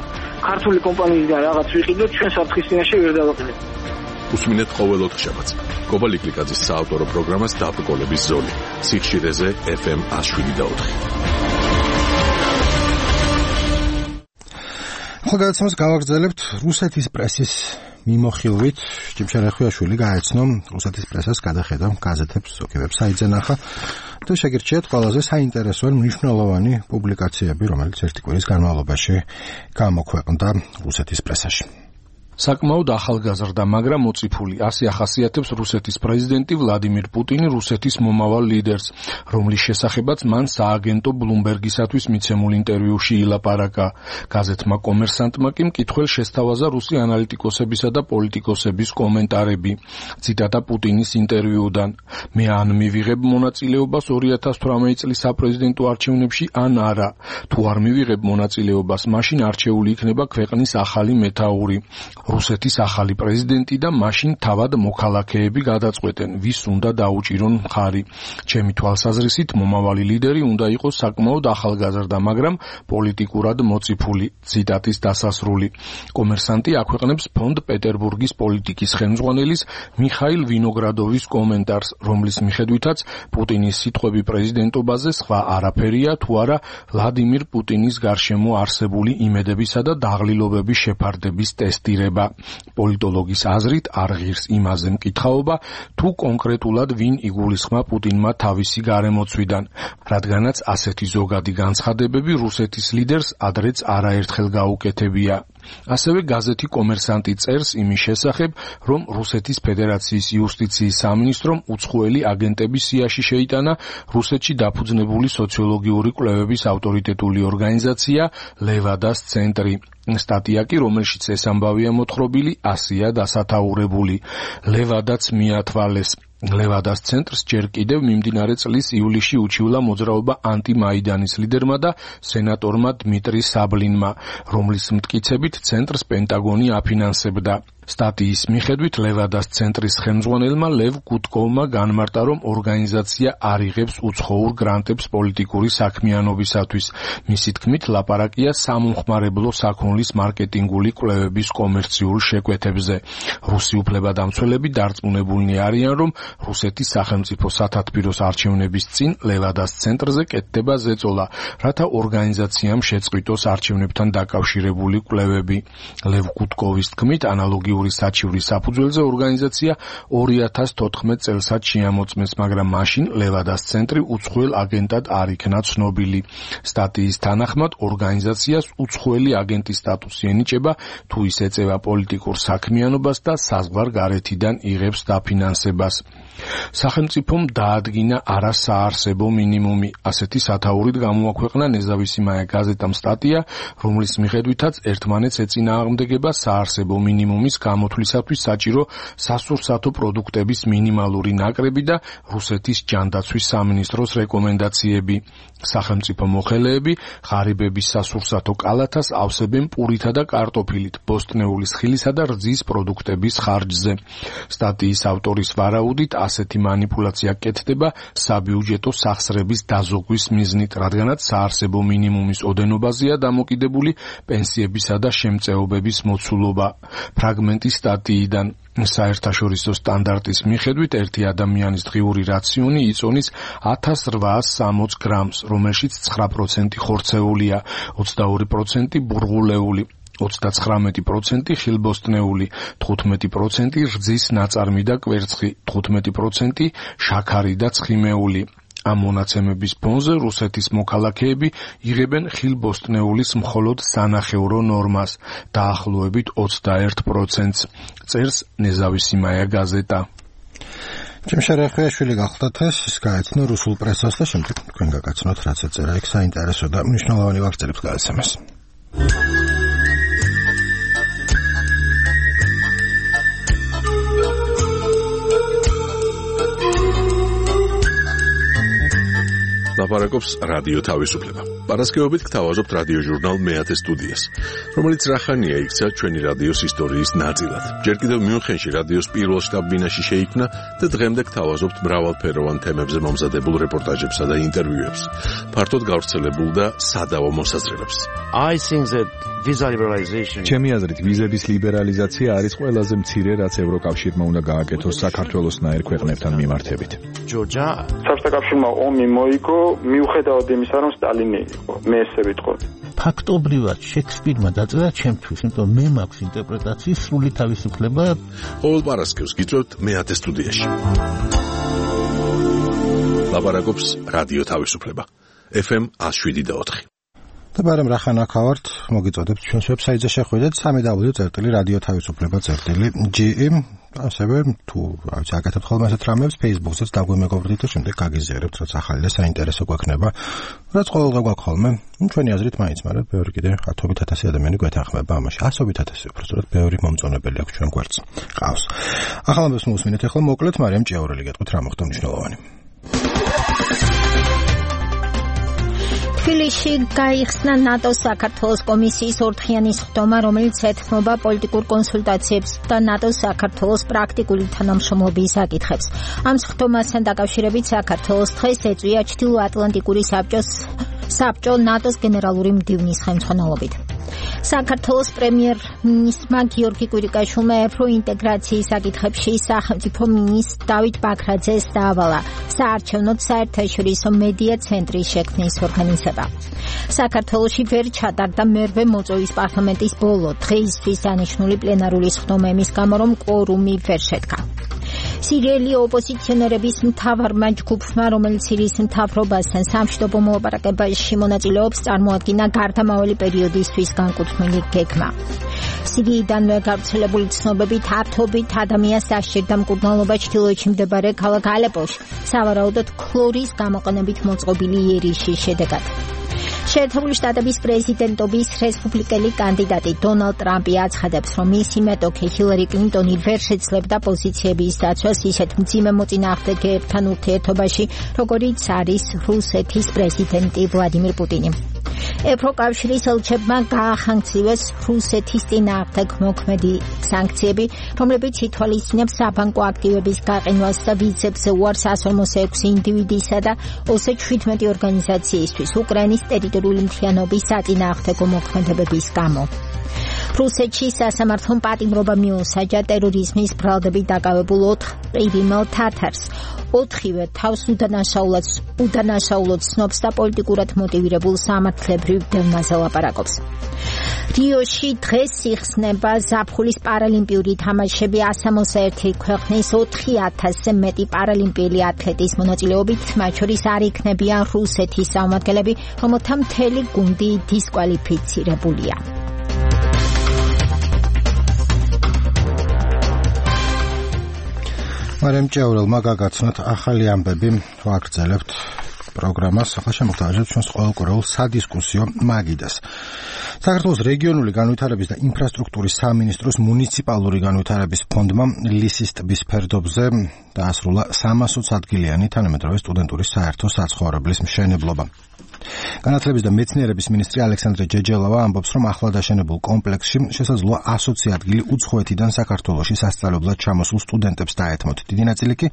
ქართული კომპანიისგან რაღაც ვიყიდოთ ჩვენ საფრთხის წინაშე ვერ დავაყენებთ. უსმინეთ ყოველ ოთხშაბათს კობა ლიკლიკაძის საავტორო პროგრამას დაბრკოლების ზოლი სიხშირეზე ეფ ემ one oh seven და four. ხალხადაცემას გავაგრძელებთ რუსეთის პრესის მიმოხილვით. ჭიმშარ ახუიაშვილი გაეცნო რუსეთის პრესას გადახედა გაზეთებს, ზოგი ვებსაიტზე ნახა და შეგირჩიათ ყველაზე საინტერესო მნიშვნელოვანი პუბლიკაციები, რომელიც ერთი კვირის განმავლობაში გამოქვეყნდა რუსეთის პრესაში. საკმაოდ ახალგაზრდა, მაგრამ მოციფული, ასე ახასიათებს რუსეთის პრეზიდენტი ვლადიმირ პუტინი რუსეთის მომავალ ლიდერს, რომლის შესახებაც მან სააგენტო ბლუმბერგისათვის მიცემულ ინტერვიუში ილაპარაკა. გაზეთმა კომერსანტმა კი მკითხველს შესთავაზა რუსი ანალიტიკოსებისა და პოლიტიკოსების კომენტარები. ციტატა პუტინის ინტერვიუდან: მე ან მივიღებ მონაწილეობას ორი ათას თვრამეტი წლის საპრეზიდენტო არჩევნებში, ან არა. თუ არ მივიღებ მონაწილეობას, მაშინ არჩეული იქნება ქვეყნის ახალი მეთაური. რუსეთის ახალი პრეზიდენტი და მაშინ თავად მოქალაქეები გადაწყვეტენ, ვის უნდა დაუჭირონ მხარი. ჩემი თვალსაზრისით, მომავალი ლიდერი უნდა იყოს საკმაოდ ახალგაზრდა, მაგრამ პოლიტიკურად მოციფული. ციტატის დასასრული. კომერსანტი აქვეყნებს ფონდ პეტერბურგის პოლიტიკის ხელმძღვანელის მიხაილ ვინოგრადოვის კომენტარს, რომლის მიხედვითაც პუტინის სიტყვები პრეზიდენტობაზე სხვა არაფერია, თუ არა ვლადიმირ პუტინის გარშემო არსებული იმედებისა და დაღლილობების შეფარდების ტესტირება. პოლიტოლოგის აზრით არ ღირს იმაზე მკითხაობა, თუ კონკრეტულად ვინ იგულისხმა პუტინმა თავისი გარემოცვიდან, რადგანაც ასეთი ზოგადი განცხადებები რუსეთის ლიდერს ადრეც არაერთხელ გაუკეთებია. ასევე გაზეთი კომერსანტი წერს იმის შესახებ, რომ რუსეთის ფედერაციის იუსტიციის სამინისტრომ უცხოელი აგენტების სიაში შეიტანა რუსეთში დაფუძნებული სოციოლოგიური კვლევების ავტორიტეტული ორგანიზაცია ლევადას ცენტრი. სტატია კი, რომელშიც ეს ამბავია მოთხრობილი, ასია დასათაურებული. ლევადაც მიათვალეს. ლევადას ცენტრს ჯერ კიდევ მიმდინარე წლის ივლისში უჩივლა მოძრაობა ანტიმაიდანის ლიდერმა და სენატორმა დმიტრი საბლინმა, რომლის მტკიცებით ცენტრს პენტაგონი აფინანსებდა. სტატიის მიხედვით ლევადას ცენტრის ხელმძღვანელმა ლევ გუტკოვმა განმარტა, რომ ორგანიზაცია არ იღებს უცხოურ გრანტებს პოლიტიკური საქმიანობისათვის. მისი თქმით, ლაპარაკია სამომხმარებლო საქონლის მარკეტინგული კვლევების კომერციულ შეკვეთებზე. რუსი უფლებადამცველები დარწმუნებულნი არიან, რომ რუსეთის სახელმწიფო სათათბიროს არჩევნების წინ ლევადას ცენტრზე კეთდება ზეწოლა, რათა ორგანიზაციამ შეწყვიტოს არჩევნებთან დაკავშირებული კვლევები. ლევ გუტკოვის თქმით, ანალოგი საჩივრის საფუძველზე ორგანიზაცია ორი ათას თოთხმეტ წელსაც შეამოწმეს, მაგრამ მაშინ ლევადას ცენტრი უცხოელ აგენტად არ იქნა ცნობილი. სტატიის თანახმად ორგანიზაციას უცხოელი აგენტის სტატუსი ენიჭება, თუ ის ეწევა პოლიტიკურ საქმიანობას და საზღვარ გარეთიდან იღებს დაფინანსებას. სახელმწიფომ დაადგინა არასაარსებო მინიმუმი. ასეთი სათაურით გამოაქვეყნა ნეზავისიმაია გაზეტამ სტატია, რომლის მიხედვითაც ერთმანეთს ეწინააღმდეგება საარსებო მინიმუმის გამოთვლისათვის საჭირო სასურსათო პროდუქტების მინიმალური ნაკრები და რუსეთის ჯანდაცვის სამინისტროს რეკომენდაციები. სახელმწიფო მოხელეები ღარიბების სასურსათო კალათას ავსებენ პურითა და კარტოფილით, ბოსტნეულის ხილისა და რძის პროდუქტების ხარჯზე. სტატიის ავტორის ვარაუდით, ასეთი манипуляция კეთდება საბიუჯეტო სახსრების დაზოგვის მიზნით, რადგანაც საარსებო მინიმუმის ოდენობაზეა დამოკიდებული პენსიებისა და შემწეობების მოცულობა. ფრაგმენტი სტატიიდან: საერთაშორისო სტანდარტის მიხედვით ერთი ადამიანის დღიური რაციონი იწონის ათას რვაას სამოცი გრამს, რომელშიც ცხრა პროცენტი ხორცეულია, ოცდაორი პროცენტი ბურღულეული, ოცდაცხრამეტი პროცენტი ხილბოსტნეული, თხუთმეტი პროცენტი რძის ნაწარმი და კვერცხი, თხუთმეტი პროცენტი შაქარი და ცხიმეული. ამ მონაცემების ფონზე რუსეთის მოქალაქეები იღებენ ხილბოსტნეულის მხოლოდ სანახევრო ნორმას, დაახლოებით ოცდაერთ პროცენტს, წერს ნეზავისიმაია გაზეტა. ჩემშერე ხვიაშვილი გახლდათ ეს გაეცნო რუსულ პრესას და შემდეგ თქვენ გაგაცნოთ რაც ეწერა იქ საინტერესო და მნიშვნელოვანი ვახცელებს გააცემეს. ლაპარაკობს რადიო თავისუფლება. პარასკევობით გთავაზობთ რადიო ჟურნალ მეათე სტუდიას, რომელიც რახანია იქცა ჩვენი რადიოს ისტორიის ნაწილად. ჯერ კიდევ მიუნხენში რადიოს პირველ შტაბ-ბინაში შეიქმნა და დღემდე გთავაზობთ მრავალფეროვან თემებზე მომზადებულ რეპორტაჟებსა და ინტერვიუებს. ფართოდ გავრცელებულ და სადავო მოსაზრებებს. I think that visa liberalization ჩემი აზრით ვიზების ლიბერალიზაცია არის ყველაზე მცირე რაც ევროკავშირმა უნდა გააკეთოს საქართველოსნაირ ქვეყნებთან მიმართებით. ჯორჯა საბჭოთა კავშირმა ომი მოიგო მიუხედავად იმისა რომ სტალინი იყო მე ესე ვიტყოდი. ფაქტობრივად შექსპირმა დაწერა ჩემთვის, იმიტომ მე მაქვს ინტერპრეტაციის სრული თავისუფლება. ყოველ პარასკევს გიწევთ მეათე სტუდიაში. ლაპარაკობს რადიო თავისუფლება. ეფ ემ one oh seven point four. და ბარემ რახანა ხავართ მოგიწოდებთ ჩვენს ვებსაიტზე შეხვიდეთ სამი დაბლიუ წერტილი რადიო თავისუფლება წერტილი ჯი ემ ასევე თუ რაც აკეთებთ ხოლმე ასეთ რამებს Facebook-ზეც დაგვემეგობრდით და შემდეგ გაგიზიარებთ რაც ახალი და საინტერესო გვექნება რაც ყოველდღე გვაქვს ხოლმე ჩვენი აზრით მაინც მაგრამ ბევრი კიდე ათობით ათასი ადამიანი გვეთანხმება ამაში ასობით ათასი უბრალოდ ბევრი მომწონებელი აქვს ჩვენ გვერდს ყავს ახლა ამბებს მოусმინეთ ახლა მოკლედ მარიამ ჭიაურელი გეტყვით რა მოხდა მნიშვნელოვანი თბილისში გაიხსნა ნატოს საქართველოს კომისიის ორდღიანი სხდომა, რომელიც ეთმობა პოლიტიკურ კონსულტაციებს და ნატოს საქართველოს პრაქტიკული თანამშრომლობის საკითხებს. ამ სხდომასთან დაკავშირებით საქართველოს დღეს ეწვია ჩრდილოატლანტიკური საბჭოს საბჭო ნატოს გენერალური მდივნის ხელმძღვანელობით. საქართველოს პრემიერ-მინისტრმა გიორგი კვირიკაშვილმა ევროინტეგრაციის საკითხებში სახელმწიფო მინისტრ დავით ბაქრაძეს დაავალა საარჩევნო საერთაშორისო მედია ცენტრის შექმნის ორგანიზება. საქართველოში ვერ ჩატარდა მერვე მოწვევის პარლამენტის ბოლო დღეისთვის დანიშნული პლენარული სხდომა იმის გამო, რომ კვორუმი ვერ შედგა. სირიელი ოპოზიციონერების მთავარმა ჯგუფმა, რომელიც სირიის მთავრობასთან სამშვიდობო მოლაპარაკებაში მონაწილეობს, წარმოადგინა გარდამავალი პერიოდისთვის განკუთვნილი გეგმა. სირიიდანვე გავრცელებული ცნობებით ათობით ადამიანს დასჭირდა მკურნალობა ჩრდილოეთში მდებარე ქალაქ ალეპოში, სავარაუდოდ ქლორის გამოყენებით მოწყობილი იერიშის შედეგად. შეერთებული შტატების პრეზიდენტობის რესპუბლიკელი კანდიდატი დონალდ ტრამპი აცხადებს, რომ მისი მეტოქი ჰილარი კლინტონი ვერ შეძლებდა პოზიციების დაცვას ისეთ მძიმე მოწინააღმდეგეებთან ურთიერთობაში, როგორიც არის რუსეთის პრეზიდენტი ვლადიმირ პუტინი. ევროკავშირის ელჩებმა გაახანგცივეს რუსეთის წინააღმდეგ მოქმედი სანქციები, რომლებიც ითვალისწინებს საბანკო აქტივების გაყინვას და ვიზებზე უარს one hundred forty-six ინდივიდისა და two hundred seventeen ორგანიზაციისთვის უკრაინის ტერიტორიული მთლიანობის საწინააღმდეგო მოქმედებების გამო. რუსეთში სასამართლომ პატიმრობა მიუსაჯა ტერორიზმის ბრალდებით დაკავებულ ოთხ ყირიმელ თათარს. ოთხივე თავს უდანაშაულად უდანაშაულად ცნობს და პოლიტიკურად მოტივირებულ სამართლებრივ დევნაზე ლაპარაკობს. რიოში დღეს იხსნება ზაფხულის პარალიმპიური თამაშები one oh one ქვეყნის ოთხი ათასზე მეტი პარალიმპიელი ათლეტის მონაწილეობით, მათ შორის არ იქნებიან რუსეთის წარმომადგენლები, რომელთა მთელი გუნდი დისკვალიფიცირებულია. მარიამ ჭიაურელმა გაგაცნოთ ახალი ამბები, ვაგრძელებთ პროგრამას, ახლა შემოგთავაზებთ ჩვენს ყოველკვირეულ სადისკუსიო მაგიდას. საქართველოს რეგიონული განვითარების და ინფრასტრუქტურის სამინისტროს მუნიციპალური განვითარების ფონდმა ლისის ტბის ფერდობზე დაასრულა სამასოც ადგილიანი თანამედროვე სტუდენტური საერთო საცხოვრებლის მშენებლობა. განათლების და მეცნიერების მინისტრი ალექსანდრე ჯეჯელავა ამბობს, რომ ახლად აშენებულ კომპლექსში შესაძლოა ასოცი ადგილი უცხოეთიდან საქართველოში სასწავლებლად ჩამოსულ სტუდენტებს დაეთმოთ. დიდი ნაწილი კი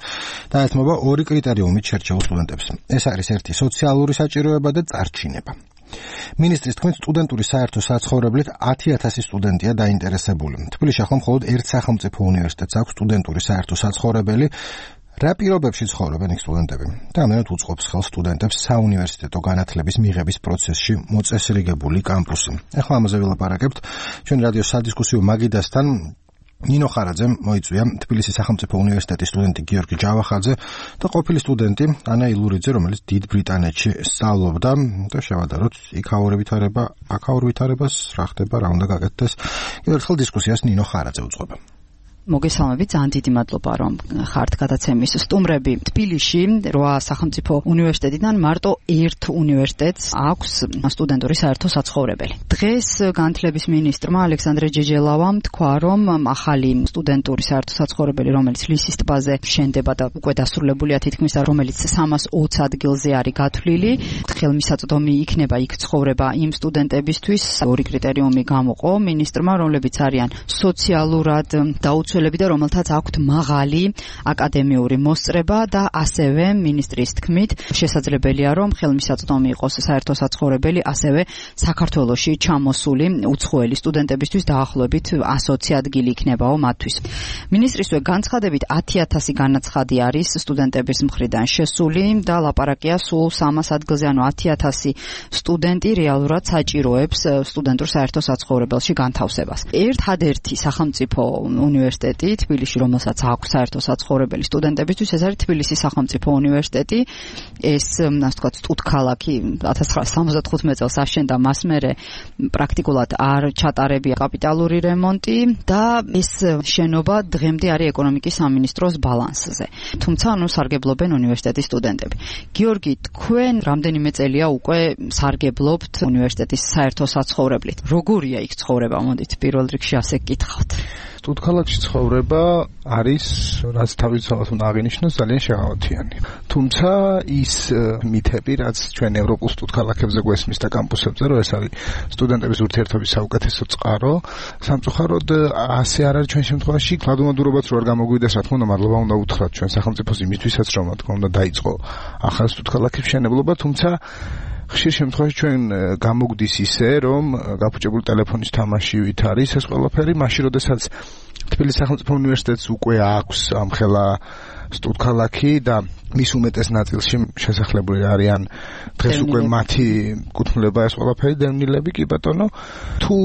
დაეთმობა ორი კრიტერიუმით შერჩეულ სტუდენტებს. ეს არის ერთი სოციალური საჭიროება და წარჩინება. მინისტრის თქმით, სტუდენტური საერთო საცხოვრებლით ათი ათასი სტუდენტია დაინტერესებული. თბილისში ახლა მხოლოდ ერთ სახელმწიფო უნივერსიტეტს აქვს სტუდენტური საერთო საცხოვრებელი. რა პირობებში ცხოვრობენ იქ სტუდენტები? და ამერად უწყობს ხელს სტუდენტებს საუნივერსიტეტო განათლების მიღების პროცესში მოწესრიგებული კამპუსი. ახლა ამაზე ვილაპარაკებთ ჩვენ რადიოს სადისკუსიო მაგიდასთან. ნინო ხარაძემ მოიწვია თბილისის სახელმწიფო უნივერსიტეტის სტუდენტი გიორგი ჯავახაძე და ყოფილი სტუდენტი ანა ილურიძე, რომელიც დიდ ბრიტანეთში სწავლობდა და შევადაროთ იქაური ვითარება, აქაურ ვითარებას, რა ხდება, რა უნდა გაკეთდეს. კიდევ ერთხელ დისკუსიას ნინო ხარაძე უძღვება. მოგესალმებით, ძალიან დიდი მადლობა, რომ ხართ გადაცემის სტუმრები. თბილისში რვა სახელმწიფო უნივერსიტეტიდან მარტო ერთ უნივერსიტეტს აქვს სტუდენტური საერთო საცხოვრებელი. დღეს განათლების მინისტრმა ალექსანდრე ჯეჯელავამ თქვა, რომ ახალი სტუდენტური საერთო საცხოვრებელი, რომელიც ლისის ტბაზე შენდება და უკვე დასრულებულია თითქმის, რომელიც სამას ოცი ადგილზე არის გათვლილი, ხელმისაწვდომი იქნება იქ ცხოვრება იმ სტუდენტებისთვის. ორი კრიტერიუმი გამოყო მინისტრმა, რომლებიც არიან სოციალურად დაუცველები და რომელთაც აქვთ მაღალი აკადემიური მოსწრება და ასევე მინისტრის თქმით შესაძლებელია, რომ ხელმისაწვდომი იყოს საერთო საცხოვრებელი ასევე საქართველოში ჩამოსული უცხოელი სტუდენტებისთვის დაახლოებით ასი ადგილი იქნებაო მათთვის. მინისტრისვე განცხადებით ათი ათასი განაცხადი არის სტუდენტების მხრიდან შესული და ლაპარაკია სულ სამას ადგილზე, ანუ ათი ათასი სტუდენტი რეალურად საჭიროებს სტუდენტურ საერთო საცხოვრებელში განთავსებას. ერთადერთი სახელმწიფო უნივერსიტეტი თბილისში, რომელსაც აქვს საერთო საცხოვრებელი სტუდენტებისთვის, ეს არის თბილისის სახელმწიფო უნივერსიტეტი. ეს, ასე ვთქვათ, სტუდქალაქი ათას ცხრაასა სამოცდახუთმეტ წელს აშენდა, მას მერე პრაქტიკულად არ ჩატარებია კაპიტალური რემონტი და ეს შენობა დღემდე არის ეკონომიკის სამინისტროს ბალანსზე. თუმცა, ანუ სარგებლობენ უნივერსიტეტის სტუდენტები. გიორგი, თქვენ რამდენიმე წელია უკვე სარგებლობთ უნივერსიტეტის საერთო საცხოვრებლით. როგორია იქ ცხოვრება? მოდით პირველ რიგში ასე გკითხავთ. სტუდქალაქში ცხოვრება არის, რაც თავისთავად უნდა აღინიშნოს, ძალიან შეღავათიანი. თუმცა ის მითები, რაც ჩვენ ევროპულ სტუდქალაქებზე გვესმის და კამპუსებზე, რომ ეს არის სტუდენტების ურთიერთობის საუკეთესო წყარო, სამწუხაროდ ასე არ არის ჩვენ შემთხვევაში. გლადუმადურობაც რო არ გამოგვიდეს, რა თქმა უნდა, მადლობა უნდა უთხრათ ჩვენ სახელმწიფოს იმისთვისაც, რომ რა თქმა უნდა დაიწყო ახალ სტუდქალაქის მშენებლობა, თუმცა ხშირ შემთხვევაში ჩვენ გამოგვდის ისე, რომ გაფუჭებული ტელეფონის თამაშივით არის ეს ყველაფერი, მაშინ როდესაც თბილისის სახელმწიფო უნივერსიტეტს უკვე აქვს ამხელა სტუდქალაქი და მის უმეტეს ნაწილში შესახლებული არიან დღეს უკვე მათი კუთვნილება ეს ყველაფერი დევნილები, კი ბატონო, თუ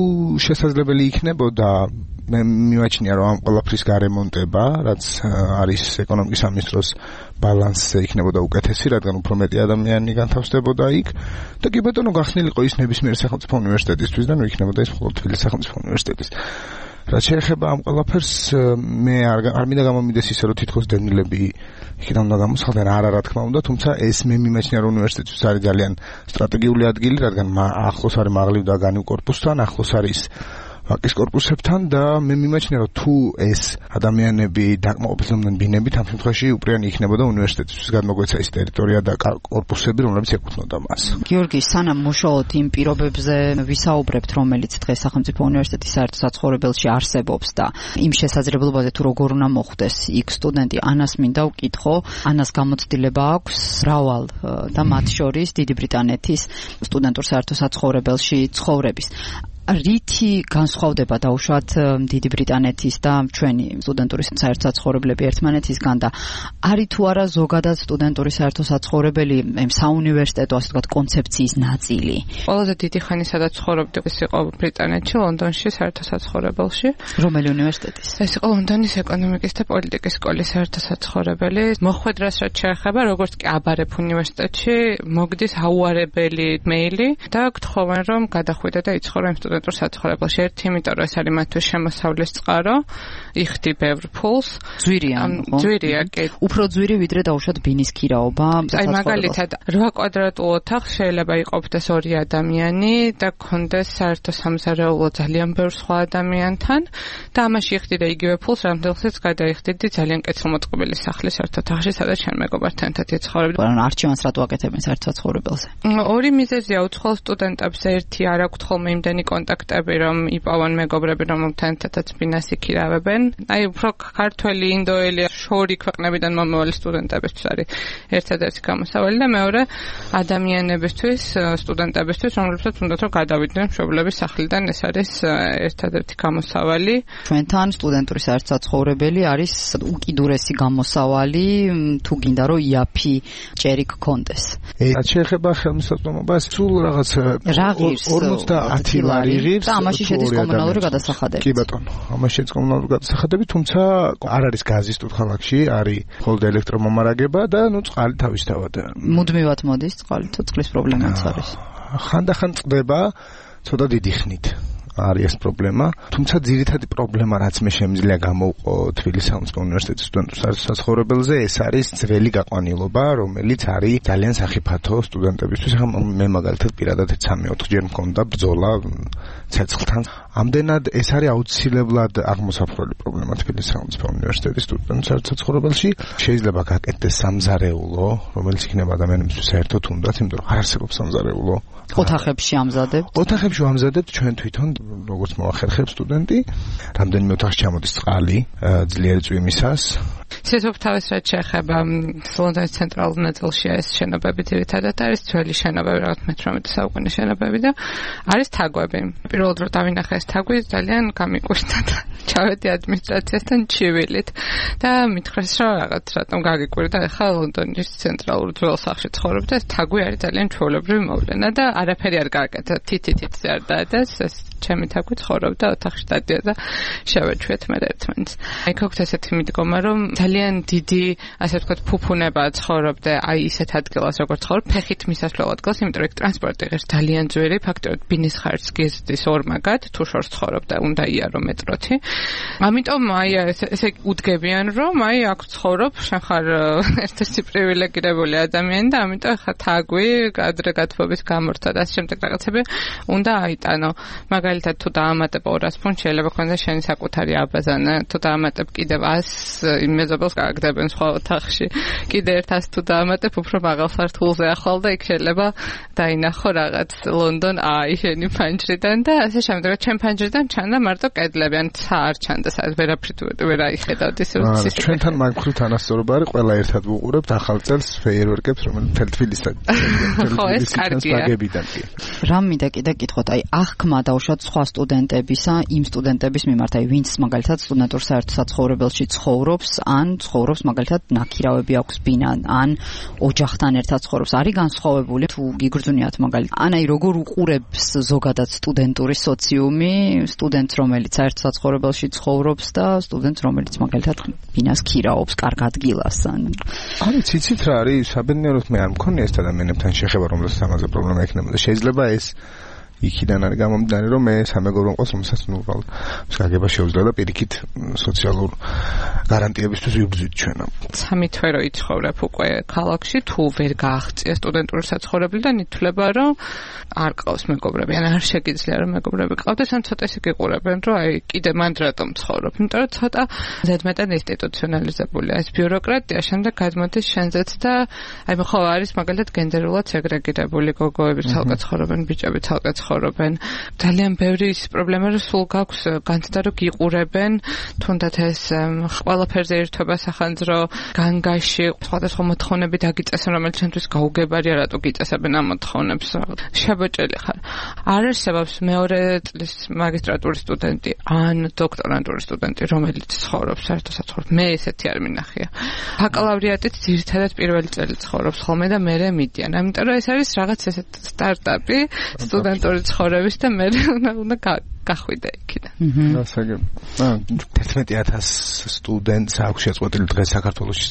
შესაძლებელი იქნებოდა მე მიმაჩნია, რომ ამ ყველაფრის გარემონტება, რაც არის ეკონომიკის სამინისტროს ბალანსზე იქნებოდა უკეთესი, რადგან უფრო მეტი ადამიანი განთავსდებოდა იქ და კი ბატონო გახსნილიყო ის ნებისმიერი სახელმწიფო უნივერსიტეტისთვის და ნუ იქნებოდა ის მხოლოდ თბილისის სახელმწიფო უნივერსიტეტის. რაც შეეხება ამ ყველაფერს, მე არ არ მინდა გამომიდეს ისე, რომ თითქოს დევნილები იქიდან უნდა გამოსხდნენ, არა რა თქმა უნდა, თუმცა ეს მე მიმაჩნია, რომ უნივერსიტეტის არის ძალიან სტრატეგიული ადგილი, რადგან ახლოს არის მაღლივ და განივ კორპუსთან, ახლოს არის ვაკის კორპუსებთან და მე მიმაჩნია, რომ თუ ეს ადამიანები დაკმაყოფილდნენ ბინებით, ამ შემთხვევაში უპირიანი იქნებოდა უნივერსიტეტისთვის გადმოგვეცა ის ტერიტორია და კორპუსები, რომლებიც ეკუთვნოდა მას. გიორგი, სანამ მუშაობთ იმ პირობებზე ვისაუბრებთ, რომელიც დღეს სახელმწიფო უნივერსიტეტის საერთო საცხოვრებელში არსებობს და იმ შესაძლებლობაზე თუ როგორ უნდა მოხვდეს იქ სტუდენტი, ანას მინდა ვკითხო, ანას გამოცდილება აქვს მრავალ და მათ შორის დიდი ბრიტანეთის სტუდენტურ საერთო საცხოვრებელში ცხოვრების. რითი განსხვავდება დაუშვათ დიდი ბრიტანეთის და ჩვენი სტუდენტური საერთო საცხოვრებლები ერთმანეთისგან და არის თუ არა ზოგადად სტუდენტური საერთო საცხოვრებელი საუნივერსიტეტო ასე ვთქვათ კონცეფციის ნაწილი? ყველაზე დიდი ხანი სადაც ცხოვრობდი, ეს იყო ბრიტანეთში, ლონდონში საერთო საცხოვრებელში. რომელი უნივერსიტეტის? ეს იყო ლონდონის ეკონომიკის და პოლიტიკის სკოლის საერთო საცხოვრებელი. მოხვედრას რაც შეეხება, როგორც კი აბარებ უნივერსიტეტში, მოგდის აუარებელი მეილი და გთხოვენ, რომ გადახვიდე და იცხოვრო იმ სტუდენტურ საცხოვრებელში. ერთი, იმიტომ რომ ეს არის მათთვის შემოსავლის წყარო, იხდი ბევრ ფულს. ძვირია, ძვირია, კი. უფრო ძვირი ვიდრე დაუშვათ ბინის ქირაობა. აი მაგალითად, რვა კვადრატულ ოთახს შეიძლება იყოფდეს ორი ადამიანი და გქონდეს საერთო სამზარეულო ძალიან ბევრ სხვა ადამიანთან და ამაში იხდი და იგივე ფულს რამდენსაც გადაიხდიდი ძალიან კეთილმოწყობილი სახლის ერთ ოთახში, სადაც ჩვენ მეგობართან ერთად ცხოვრობდი. ანუ არჩევანს რატო აკეთებენ საერთო საცხოვრებელზე? ორი მიზეზია უცხოელ სტუდენტებს. ერთი, არ აქვთ ხოლმე იმდენი კონტაქტები, რომ იპოვონ მეგობრები, რომელთან ერთადაც ბინას იქირავებენ. აი უფრო ქართველი, ინდოელი, შორი ქვეყნებიდან მომავალი სტუდენტებისთვის არის ერთადერთი გამოსავალი და მეორე ადამიანებისთვის, სტუდენტებისთვის, რომლებსაც უნდათ რომ გადავიდნენ მშობლების სახლიდან, ეს არის ერთადერთი გამოსავალი. ჩვენთან სტუდენტური საერთო საცხოვრებელი არის უკიდურესი გამოსავალი, თუ გინდა რომ იაფი ჭერი გქონდეს. რაც შეეხება ხელმისაწვდომობას, სულ რაღაც ორმოცდაათი ლარი იღებს და ამაში შედის კომუნალური გადასახადები. კი ბატონო, ამაში შედის კომუნალური გადასახადები, თუმცა არ არის გაზი სტუდქალაქში, არის მხოლოდ ელექტრომომარაგება და ნუ წყალი თავისთავად. მუდმივად მოდის წყალი, თუ წყლის პრობლემაც არის. ხანდახან წყდება ცოტა დიდი ხნით. არის ეს პრობლემა. თუმცა ძირითადი პრობლემა, რაც მე შემიძლია გამოვყო თბილისის სახელმწიფო უნივერსიტეტის სტუდენტურ საცხოვრებელზე, ეს არის ძველი გაყვანილობა, რომელიც არის ძალიან სახიფათო სტუდენტებისთვის. მე მაგალითად პირადად სამი ოთხ ჯერ მქონდა ბრძოლა ცეცხლთან. ამდენად ეს არის აუცილებლად აღმოსაფრული პრობლემა თბილისის სახელმწიფო უნივერსიტეტის სტუდენტურ საცხოვრებელში. შეიძლება გაკეთდეს სამზარეულო, რომელიც იქნება ადამიანებისთვის საერთოდ უნდათ, იმიტომ რომ არ არსებობს სამზარეულო. ოთახებში ამზადებთ? ოთახებში ვამზადებთ ჩვენ თვითონ, როგორც მოახერხებს სტუდენტი. რამდენიმე ოთახში ჩამოდის წყალი ძლიერი წვიმისას. სიცოცხლე თავის რაც შეეხება ლონდონის ცენტრალურ ნაწილში ეს შენობები ძირითადად არის ძველი შენობები, რაღაც მეთვრამეტე საუკუნის შენობები და არის თაგვები. პირველად რომ დავინახე ეს თაგვი ძალიან გამიკვირდა და ჩავედი ადმინისტრაციასთან ჩივილით და მითხრეს რომ რაღაც რატომ გაგიკვირდა, ახლა ლონდონის ცენტრალურ ძველ სახლში ცხოვრობ და ეს თაგვი არის ძალიან ჩვეულებრივი მოვლენა და არაფერი არ გააკეთა, თითითითზე არ დაედას, ეს ჩემი თაგვი ცხოვრობდა ოთახში დადიოდა და შევეჩვეთ მე ერთმანეთს. აი გქონდა ესეთი მიდგომა რომ ძალიან დიდი, ასე ვთქვათ, ფუფუნება ცხოვრობდე აი ისეთ ადგილას, როგორც ცხოვრობ, ფეხით მისასვლელ ადგილას, იმიტომ რომ ტრანსპორტი ღირს ძალიან ძვირი, ფაქტობრივად ბინის ხარჯს გიზდის ორმაგად, თუ შორს ცხოვრობ და უნდა იარო მეტროთი. ამიტომ აი ესე უდგებიან, რომ აი აქ ცხოვრობ, შენ ხარ ერთ-ერთი პრივილეგირებული ადამიანი და ამიტომ ხა თაგვი, ადრე გათბობის გამორთა და ამ შემდეგ რაღაცები უნდა აიტანო. მაგალითად თუ დაამატებ ორას ფუნტს შეიძლება ქონდეს შენი საკუთარი აბაზანა, თუ დაამატებ კიდევ ას მეზობელს გააგდებენ სხვა ოთახში. კიდე ერთას თუ დაამატებ უფრო მაღალ სართულზე ახვალ და იქ შეიძლება დაინახო რაღაც ლონდონ აი შენი ფანჯრიდან და ასე შემდეგ. ჩემ ფანჯრიდან ჩანდა მარტო კედლები, ან ცა არ ჩანდა, სადაც ვერაფრით ვერ აიხედავთ ის სისტემა. ჩვენთან მაგხრივ თანასწორობა არის, ყველა ერთად ვუყურებთ ახალ წელს ფეიერვერკებს, რომელიც მთელ თბილისთან. ხო, ეს კარგია. რა მინდა კიდე კითხოთ, აი აღქმა დაუშვათ სხვა სტუდენტებისა, იმ სტუდენტების მიმართ, აი ვინც მაგალითად სტუდენტურ საერთო საცხოვრებელში ცხოვრობს, ან ცხოვრობს მაგალითად ნაქირავები აქვს ბინა, ან ოჯახთან ერთად ცხოვრობს, არის განსხვავებული თუ გიგრძნიათ მაგალითად. ან აი როგორ უყურებს ზოგადად სტუდენტური სოციუმი სტუდენტს, რომელიც საერთო საცხოვრებელში ცხოვრობს და სტუდენტს, რომელიც მაგალითად ბინას ქირაობს, კარგ ადგილას. არის იცით რა არის, საბედნიეროდ მე არ მქონია ეს ადამიანებთან შეხება, რომელსაც ამაზე პრობლემა ექნებოდა. შეიძლება ეს იქიდან არის გამომდინარე, რომ მე სამეგობრო მყავს, რომელსაც ნუ უბრალოდ გაგება შეუძლია და პირიქით სოციალურ გარანტიებისთვის ვიბრძვით ჩვენ. სამი თვე რო იცხოვრებ უკვე ქალაქში, თუ ვერ გააღწია სტუდენტური საცხოვრებელი და ნითლება, რომ არ ყავს მეგობრები, ან არ შეგიძლია რომ მეგობრები ყავდეს, ან ცოტა ისე გიყურებენ, რომ აი კიდე მანდ რატომ ცხოვრობ, იმიტომ რომ ცოტა ზედმეტად ინსტიტუციონალიზებულია ეს ბიუროკრატია, შემდეგ გადმოდის შენზეც და აი ხო არის მაგალითად გენდერულად სეგრეგირებული გოგოები ცალკე ცხოვრობენ, ბიჭები ცალკე ცხოვრობენ. ძალიან ბევრი ის პრობლემა რომ სულ გაქვს განცდა რომ გიყურებენ, თუნდაც ეს ყველაფერზე ერთობა სახანძრო განგაში, სხვადასხვა მოთხოვნები დაგიწესენ, რომელიც ჩვენთვის გაუგებარია, რატო გიწესებენ ამ მოთხოვნებს. შებოჭელი ხარ. არ არსებობს მეორე წლის მაგისტრატურის სტუდენტი ან დოქტორანტურის სტუდენტი, რომელიც ცხოვრობს საერთო საცხოვრებელში. მე ესეთი არ მინახია. ბაკალავრიატით ძირითადად პირველი წელი ცხოვრობს ხოლმე და მერე მიდიან. ამიტომ რომ ეს არის რაღაც ესეთ სტარტაპი სტუდენტური ცხოვრების და მე უნდა გახვიდე იქიდან. ასაგებ. აა თერთმეტი ათას სტუდენტს აქვს შეწყვეტილი დღეს საქართველოში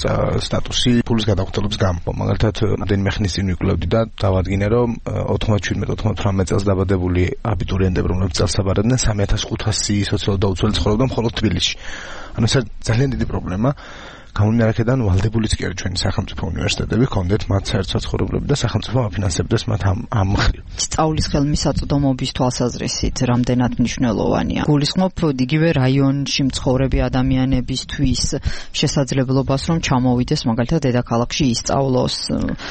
სტატუსი ფულის გადახვდების გამო. მაგალითად, რამდენიმე ხნის წინ ვიკვლევდი და დავადგინე, რომ ოთხმოცდაშვიდმეტ ოთხმოცდაოთხმეტ წელს დაბადებული აბიტურიენტები, რომლებიც წელს აბარებდნენ, სამი ათას ხუთასი სოციალურად დაუცველი ცხოვრობდნენ მხოლოდ თბილისში. ანუ ეს ძალიან დიდი პრობლემა. გამომდინარე აქედან ვალდებულიც კი არის ჩვენი სახელმწიფო უნივერსიტეტები, ჰქონდეთ მათ საერთო საცხოვრებლები და სახელმწიფო აფინანსებდეს მათ ამ ამ მხრივ. სწავლის ხელმისაწვდომობის თვალსაზრისით რამდენად მნიშვნელოვანია. გულისხმობ იგივე რაიონში მცხოვრები ადამიანებისთვის შესაძლებლობას, რომ ჩამოვიდეს მაგალითად დედაქალაქში ისწავლოს.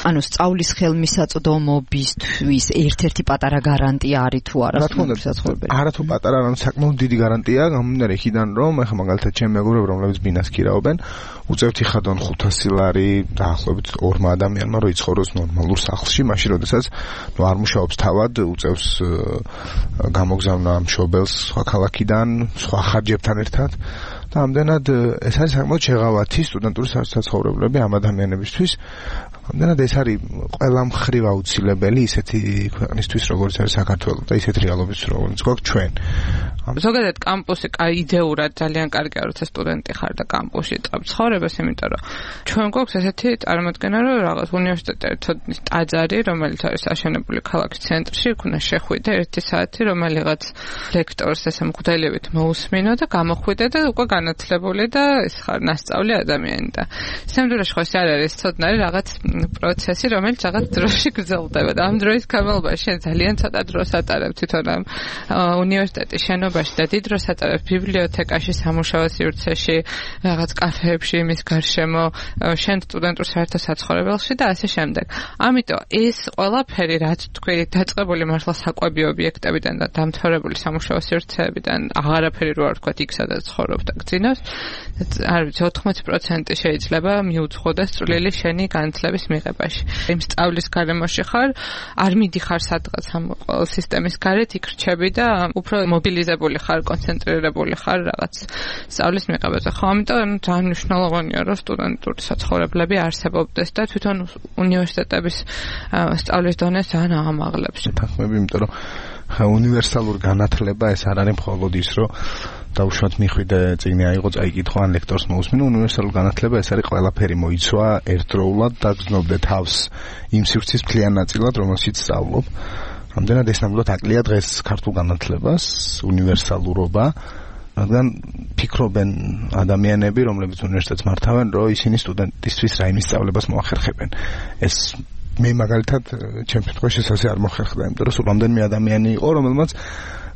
ანუ სწავლის ხელმისაწვდომობისთვის ერთ-ერთი პატარა გარანტია არის თუ არა სტუდენტური საცხოვრებელი? არა თუ პატარა, ანუ საკმაოდ დიდი გარანტია, გამომდინარე იქიდან, რომ ეხლა მაგალითად ჩემი მეგობრები, რომლებიც ბინას ქირაობენ, უწევთ იხადონ ხუთასი ლარი დაახლოებით ორმა ადამიანმა, რომ იცხოვროს ნორმალურ სახლში, მაშინ როდესაც ნუ არ მუშაობს თავად, უწევს გამოგზავნა მშობელს სხვა ქალაქიდან, სხვა ხარჯებთან ერთად და ამდენად ეს არის საკმაოდ შეღავათი სტუდენტური საცხოვრებლები ამ ადამიანებისთვის. ამდენად ეს არის ყველა მხრივ აუცილებელი ისეთი ქვეყნისთვის, როგორც არის საქართველო და ისეთ რეალობის, როგორც გვაქვს ჩვენ. ზოგადად კამპუსი იდეურად ძალიან კარგია, როცა სტუდენტი ხარ და კამპუსში წავ ცხოვრებას, იმიტომ რომ ჩვენ გვაქვს ესეთი წარმოდგენა, რომ რაღაც უნივერსიტეტი ერთოდნის ტაძარი, რომელიც არის აშენებული ქალაქის ცენტრში, იქნა შეხვიდე ერთი საათი, რომელიღაც ლექტორს ესე მღვდელებით მოусმინო და გამოხვიდე და უკვე განათლებული და ეს ხარ ნასწავლი ადამიანი და სამდროში ხო ეს არ არის ცოდნარი რაღაც პროცესი, რომელიც რაღაც დროში გრძელდება და ამ დროის განმავლობაში შენ ძალიან ცოტა დროს ატარებ თვითონ ამ უნივერსიტეტის შენობაში და დიდ დროს ატარებ ბიბლიოთეკაში, სამუშაო სივრცეში, რაღაც კაფეებში, მის გარშემო, შენ სტუდენტურ საერთო საცხოვრებელში და ასე შემდეგ. ამიტომ ეს ყველაფერი რაც თქვი დაწყებული მართლა საკვები ობიექტებიდან და დამთავრებული სამუშაო სივრცეებიდან აღარაფერი რო არ თქვა იქ სადაც ცხოვრობ და გძინავს, არ ვიცი ოთხმოცი პროცენტი შეიძლება მიუძღოდას წვლილი შენი განათლების მიღებაში. იმ სწავლის გარემოში ხარ, არ მიდიხარ სადღაც ამ სისტემის გარეთ, იქ რჩები და უფრო მობილიზებული ხარ, კონცენტრირებული ხარ რაღაც სწავლის მიღებაზე. ხო, ამიტომ ძალიან მნიშვნელოვანია, რომ სტუდენტური საცხოვრებლები არსებობდეს და თვითონ უნივერსიტეტების სწავლის დონეს ძალიან აღამაღლებს. თანხმები, იმიტომ რომ უნივერსალური განათლება ეს არ არის მხოლოდ ის, რომ დაუშვათ მიხვიდე წიგნი აიღო, წაიკითხო ან ლექტორს მოусმინო. უნივერსალური განათლება ეს არის ყველაფერი მოიცვა ერთდროულად და გზნობდე თავს იმ სივრცის მთლიან ნაწილად, რომელშიც სწავლობ. ამდენად ეს ნამდვილად აკლია დღეს ქართულ განათლებას, უნივერსალურობა, რადგან ფიქრობენ ადამიანები, რომლებიც უნივერსიტეტს მართავენ, რომ ისინი სტუდენტისთვის რაიმე სწავლებას მოახერხებენ. ეს მე მაგალითად ჩემ შემთხვევაში ასე არ მოხერხდა, იმიტომ რომ სულ რამდენიმე ადამიანი იყო, რომელმაც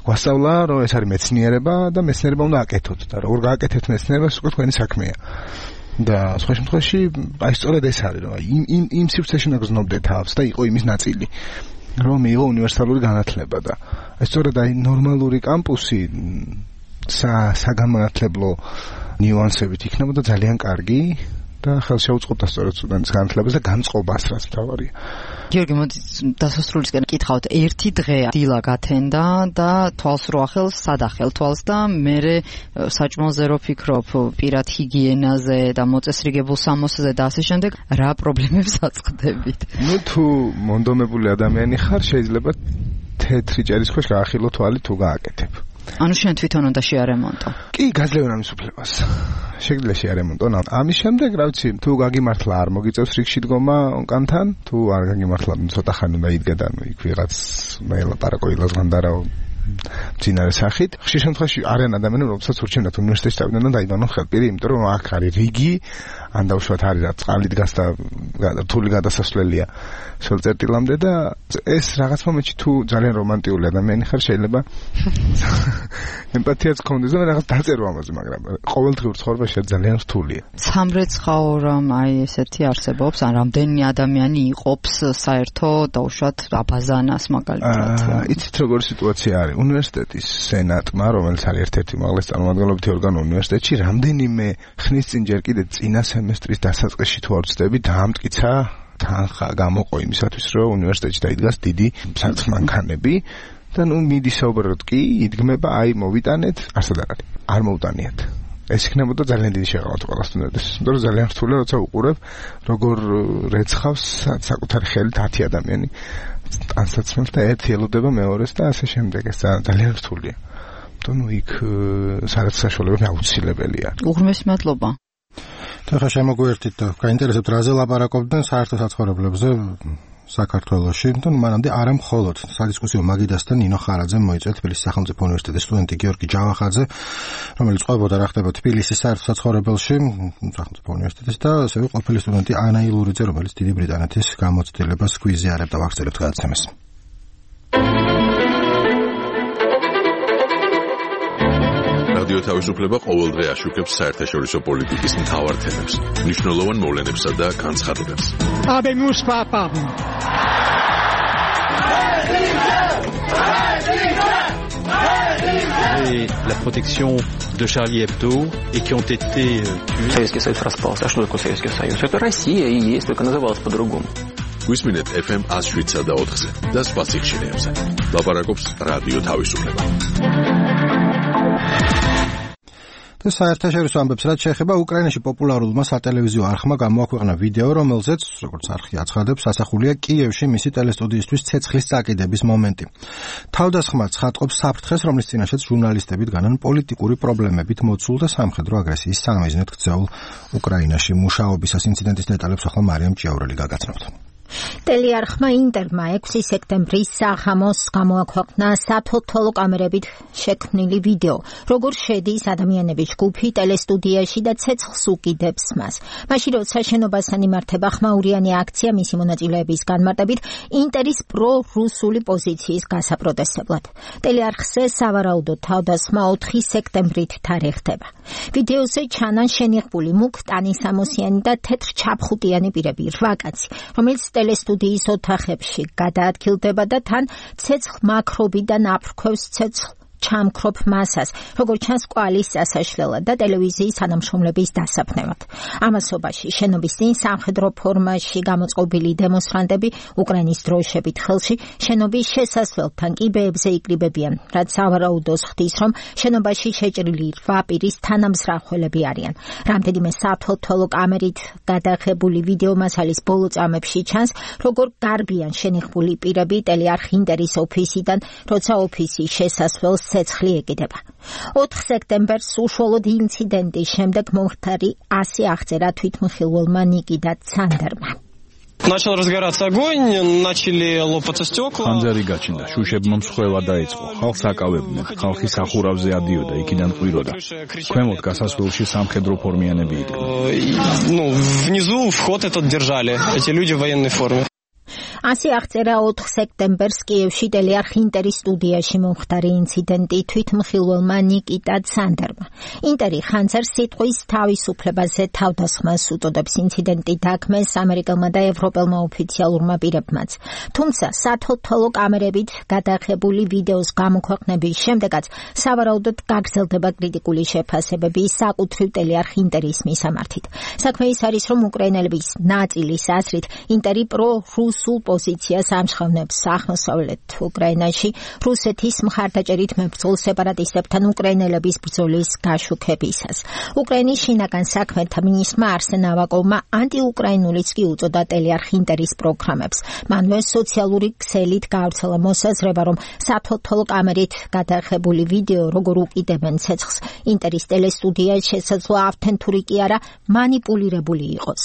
გვასწავლა, რომ ეს არის მეცნიერება და მეცნიერება უნდა აკეთოთ და როგორ გააკეთეთ მეცნიერებას, უკვე თქვენი საქმეა. და სხვა შემთხვევაში აი სწორედ ეს არის, რომ იმ იმ იმ სივრცეში უნდა გზნობდე თავს და იყო იმის ნაწილი, რომ მიიღო უნივერსალური განათლება და აი სწორედ აი ნორმალური კამპუსი საგანმანათლებლო ნიუანსებით იქნებოდა ძალიან კარგი და ხელშეუწყობდა სწორედ სტუდენტის განათლებას და განწყობას, რაც მთავარია. გიორგი, მოდი დასასრულისკენ კითხავთ. ერთი დღე დილა გათენდა და თვალს რო ახელს, სად ახელ თვალს და მერე საჭმელზე რო ფიქრობ, პირად ჰიგიენაზე და მოწესრიგებულ სამოსზე და ასე შემდეგ, რა პრობლემებს აწყდებით? ნუ თუ მონდომებული ადამიანი ხარ, შეიძლება თეთრი ჭერის ქვეშ გაახილო თვალი თუ გააკეთებ. ანუ შენ თვითონ უნდა შეარემონტო. კი, გაძლევენ ამის უფლებას. შეგიძლია შეარემონტო. ამის შემდეგ, რა ვიცი, თუ გაგიმართლა არ მოგიწევს რიგში დგომა ონკანთან, თუ არ გაგიმართლა, ცოტა ხანი უნდა იდგა და ნუ იქ ვიღაც მეელაპარაკო ილაზღანდარაო მძინარე სახით. ხშირ შემთხვევაში არიან ადამიანები, რომელსაც ურჩევნათ უნივერსიტეტში წავიდნენ და დაიბანონ ხელპირი, იმიტომ რომ აქ არის რიგი, ან დაუშვათ არის რა წყალი დგას და რთული გადასასვლელია სოლწერტილამდე და ეს რაღაც მომენტში თუ ძალიან რომანტიული ადამიანი ხარ, შეიძლება ემპათიაც გქონდეს და რაღაც დაწერო ამაზე, მაგრამ ყოველდღიურ ცხოვრებაში ძალიან რთულია. სამრეცხაო რომ აი ესეთი არსებობს, ან რამდენი ადამიანი იყოფს საერთო დაუშვათ აბაზანას მაგალითად. იცით როგორი სიტუაცია არის? უნივერსიტეტის სენატმა, რომელიც არის ერთ-ერთი უმაღლესი წარმომადგენლობითი ორგანო უნივერსიტეტში, რამდენიმე ხნის წინ ჯერ კიდე წინა სემესტრის დასაწყისში თუ არ ვცდები, დაამტკიცა თანხა გამოყო იმისათვის, რომ უნივერსიტეტში დაიდგას დიდი სარწმუნოანქანები და ნუ მიდის საუბრობთ კი, იდგმება, აი მოვიტანეთ, არსად არ არის. არ მოუტანიათ. ეს იქნებოდა ძალიან დიდი შეღავათი ყველა სტუდენტის. იმიტომ რომ ძალიან რთულია, როცა უყურებ, როგორ რეცხავს საკუთარი ხელით ათი ადამიანი ტანსაცმელს და ერთი ელოდება მეორეს და ასე შემდეგ. ეს ძალიან რთულია. თუმცა ნუ იქ სადაც საშუალებები აუცილებელია. უღრმესი მადლობა. ხა შემოგვერთით და გაინტერესებთ რაზე ლაპარაკობდნენ საერთო საცხოვრებლებზე საქართველოში. თუმცა მანამდე არა მხოლოდ სადისკუსიო მაგიდასთან ნინო ხარაძემ მოიწვია თბილისის სახელმწიფო უნივერსიტეტის სტუდენტი გიორგი ჯავახაძე, რომელიც ყვებოდა რა ხდება თბილისის საერთო საცხოვრებელში სახელმწიფო უნივერსიტეტის და ასევე ყოფილი სტუდენტი ანა ილურიძე, რომელიც დიდი ბრიტანეთის გამოცდილებას გვიზიარებდა. ვახცელებთ გადაცემას. რადიო თავისუფლება ყოველდღე აშუქებს საერთაშორისო პოლიტიკის მთავარ თემებს, მნიშვნელოვან მოვლენებსა და განცხადებებს. Habemus papam. Et la protection de Charlie Hebdo et qui ont été tués. Советский Союз распался. А что такое Советский Союз? Это Россия и есть, только называлась по-другому. გვისმინეთ эф эм one oh seven და ოთხზე და სხვა სიხშირეებზე. ლაპარაკობს რადიო თავისუფლება. და საერთაშორისო ამბებს რაც შეეხება უკრაინაში პოპულარულმა სატელევიზიო არხმა გამოაქვეყნა ვიდეო, რომელზეც, როგორც არხი აცხადებს, ასახულია კიევში მისი ტელესტუდიისთვის ცეცხლის წაკიდების მომენტი. თავდასხმა ცხადყოფს საფრთხეს, რომლის წინაშეც ჟურნალისტები დგანან პოლიტიკური პრობლემებით მოცულ და სამხედრო აგრესიის სამიზნედ ქცეულ უკრაინაში მუშაობისას. ინციდენტის დეტალებს ახლა მარიამ ჭიაურელი გაგაცნობთ. ტელეარხმა ინტერმა ექვსი სექტემბრის საღამოს გამოაქვეყნა საფოთოლო კამერებით შექმნილი ვიდეო, როგორ შედის ადამიანების ჯგუფი ტელესტუდიაში და ცეცხლს უკიდებს მას. მაშინ როცა შენობასთან იმართება ხმაურიანი აქცია მისი მონაწილეების განმარტებით ინტერის პრო-რუსული პოზიციის გასაპროტესტებლად. ტელეარხზე სავარაუდოდ თავდასხმა ოთხი სექტემბრით თარიღდება. ვიდეოზე ჩანან შენიღბული მუქ ტანისამოსიანი და თეთრ ჩაფხუტიანი პირები, რვა კაცი, რომელიც ტელესტუდიის ოთახებში გადაადგილდება და თან ცეცხლ მაქრობიდან აფრქვევს ცეცხლ ჩამქრობ მასას, როგორც ჩანს კვალის წასაშლელად და ტელევიზიის თანამშრომლების დასაფნელად. ამასობაში შენობის წინ სამხედრო ფორმაში გამოწყობილი დემონსტრანტები უკრაინის დროშებით ხელში შენობის შესასვლელთან კიბეებზე იკრიბებიან, რაც სავარაუდოს ხდის, რომ შენობაში შეჭრილი რვა პირის თანამზრახველები არიან. რამდენიმე საფოთოლო კამერით გადაღებული ვიდეო მასალის ბოლო წამებში ჩანს, როგორ გარბიან შენიღბული პირები ტელეარხ ინტერის ოფისიდან, როცა ოფისის შესასვლელს ცეცხლი ეკიდება. ოთხ სექტემბერს უშუალოდ ინციდენტის შემდეგ მომხდარი ასე აღწერა თვითმხილველმა ნიკიტა ცანდერმა. Начал разгораться огонь, начали лопаться стекла. ხანძარი გაჩნდა, შუშებმა მსხვევა დაიწყო. ხალხს აკავებდნენ, ხალხი სახურავზე ადიოდა, იქიდან ყვიროდა. ქვემოთ გასასვლელში სამხედრო ფორმიანები იდგნენ. Ну, внизу вход этот держали, эти люди в военной форме. ასე აღწერა ოთხ სექტემბერს კიევში ტელეარხ ინტერის სტუდიაში მომხდარი ინციდენტი თვითმხილველმა ნიკიტა ცანდერმა. ინტერი ხანძარს სიტყვის თავისუფლებაზე თავდასხმას უწოდებს. ინციდენტი დაგმეს ამერიკელმა და ევროპელმა ოფიციალურმა პირებმაც. თუმცა საფოთოლო კამერებით გადაღებული ვიდეოს გამოქვეყნების შემდეგაც სავარაუდოდ გაგრძელდება კრიტიკული შეფასებები საკუთრივ ტელეარხ ინტერის მისამართით. საქმე ის არის, რომ უკრაინელების ნაწილის აზრით ინტერი პრო-რუსულ პოზიციას ამჟღავნებს აღმოსავლეთ უკრაინაში რუსეთის მხარდაჭერით მებრძოლ სეპარატისტებთან უკრაინელების ბრძოლის გაშუქებისას. უკრაინის შინაგან საქმეთა მინისტრმა არსენ ავაკოვმა ანტიუკრაინულიც კი უწოდა ტელეარხ ინტერის პროგრამებს. მანვე სოციალური ქსელით გაავრცელა მოსაზრება, რომ საფოთოლო კამერით გადაღებული ვიდეო, როგორ უკიდებენ ცეცხლს ინტერის ტელესტუდია შესაძლოა ავთენტური კი არა, მანიპულირებული იყოს.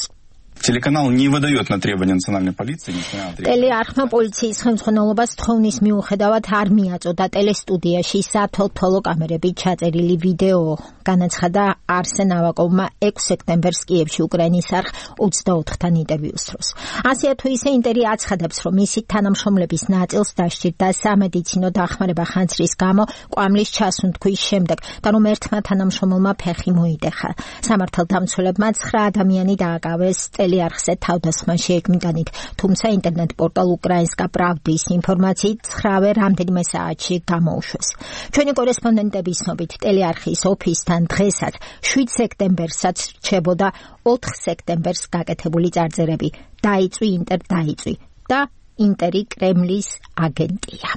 Телеканал не выдает на требования национальной полиции, несмотря на требования. ტელეარხმა პოლიციის ხელმძღვანელობას თხოვნის მიუხედავად არ მიაწოდა ტელესტუდიაში საფოთოლო კამერებით ჩაწერილი ვიდეო. განაცხადა არსენ ავაკოვმა ექვსი სექტემბერს კიევში უკრაინის არხ ოცდაოთხთან ინტერვიუს დროს. ასე თუ ისე ინტერი აცხადებს, რომ მისი თანამშრომლების ნაწილს დასჭირდა სამედიცინო დახმარება ხანძრის გამო კვამლის ჩასუნთქვის შემდეგ და რომ ერთმა თანამშრომელმა ფეხი მოიტეხა. სამართალდამცველებმა ცხრა ადამიანი დააკავეს ტელეარხზე თავდასხმას შეეკმიტანით, თუმცა ინტერნეტ პორტალ უკრაინსკა პრავდის ინფორმაციით ცხრავე რამდენიმე საათში გამოუშვეს. ჩვენი კორესპონდენტების ცნობით ტელეარხის ოფისთან დღესაც შვიდ სექტემბერსაც რჩებოდა ოთხ სექტემბერს გაკეთებული წარწერები. დაიწვი ინტერ დაიწვი და ინტერი კრემლის აგენტია.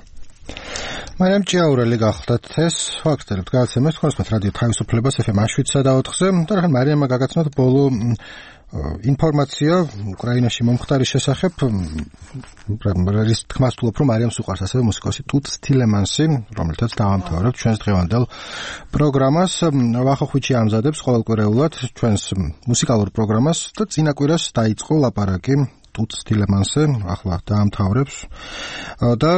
მარიამ ჭიაურელი გახლდათ ეს ფაქტები გასცემეს თქვენს რადიო თავისუფლებას ეფ ემ შვიდსა და ოთხზე და რახან მარიამმა გაგაცნოთ ბოლო ინფორმაცია უკრაინაში მომხდარის შესახებ. რის თქმას ვთვლობ, რომ მარიამს უყვარს ასევე მუსიკოსი ტუტ სტილემანსი, რომელთაც დავამთავრებთ ჩვენს დღევანდელ პროგრამას. ვახოხვიჩი ამზადებს ყოველკვირეულად ჩვენს მუსიკალურ პროგრამას და წინა კვირას დაიწყო ლაპარაკი ტუტ სტილემანსზე, ახლა დაამთავრებს და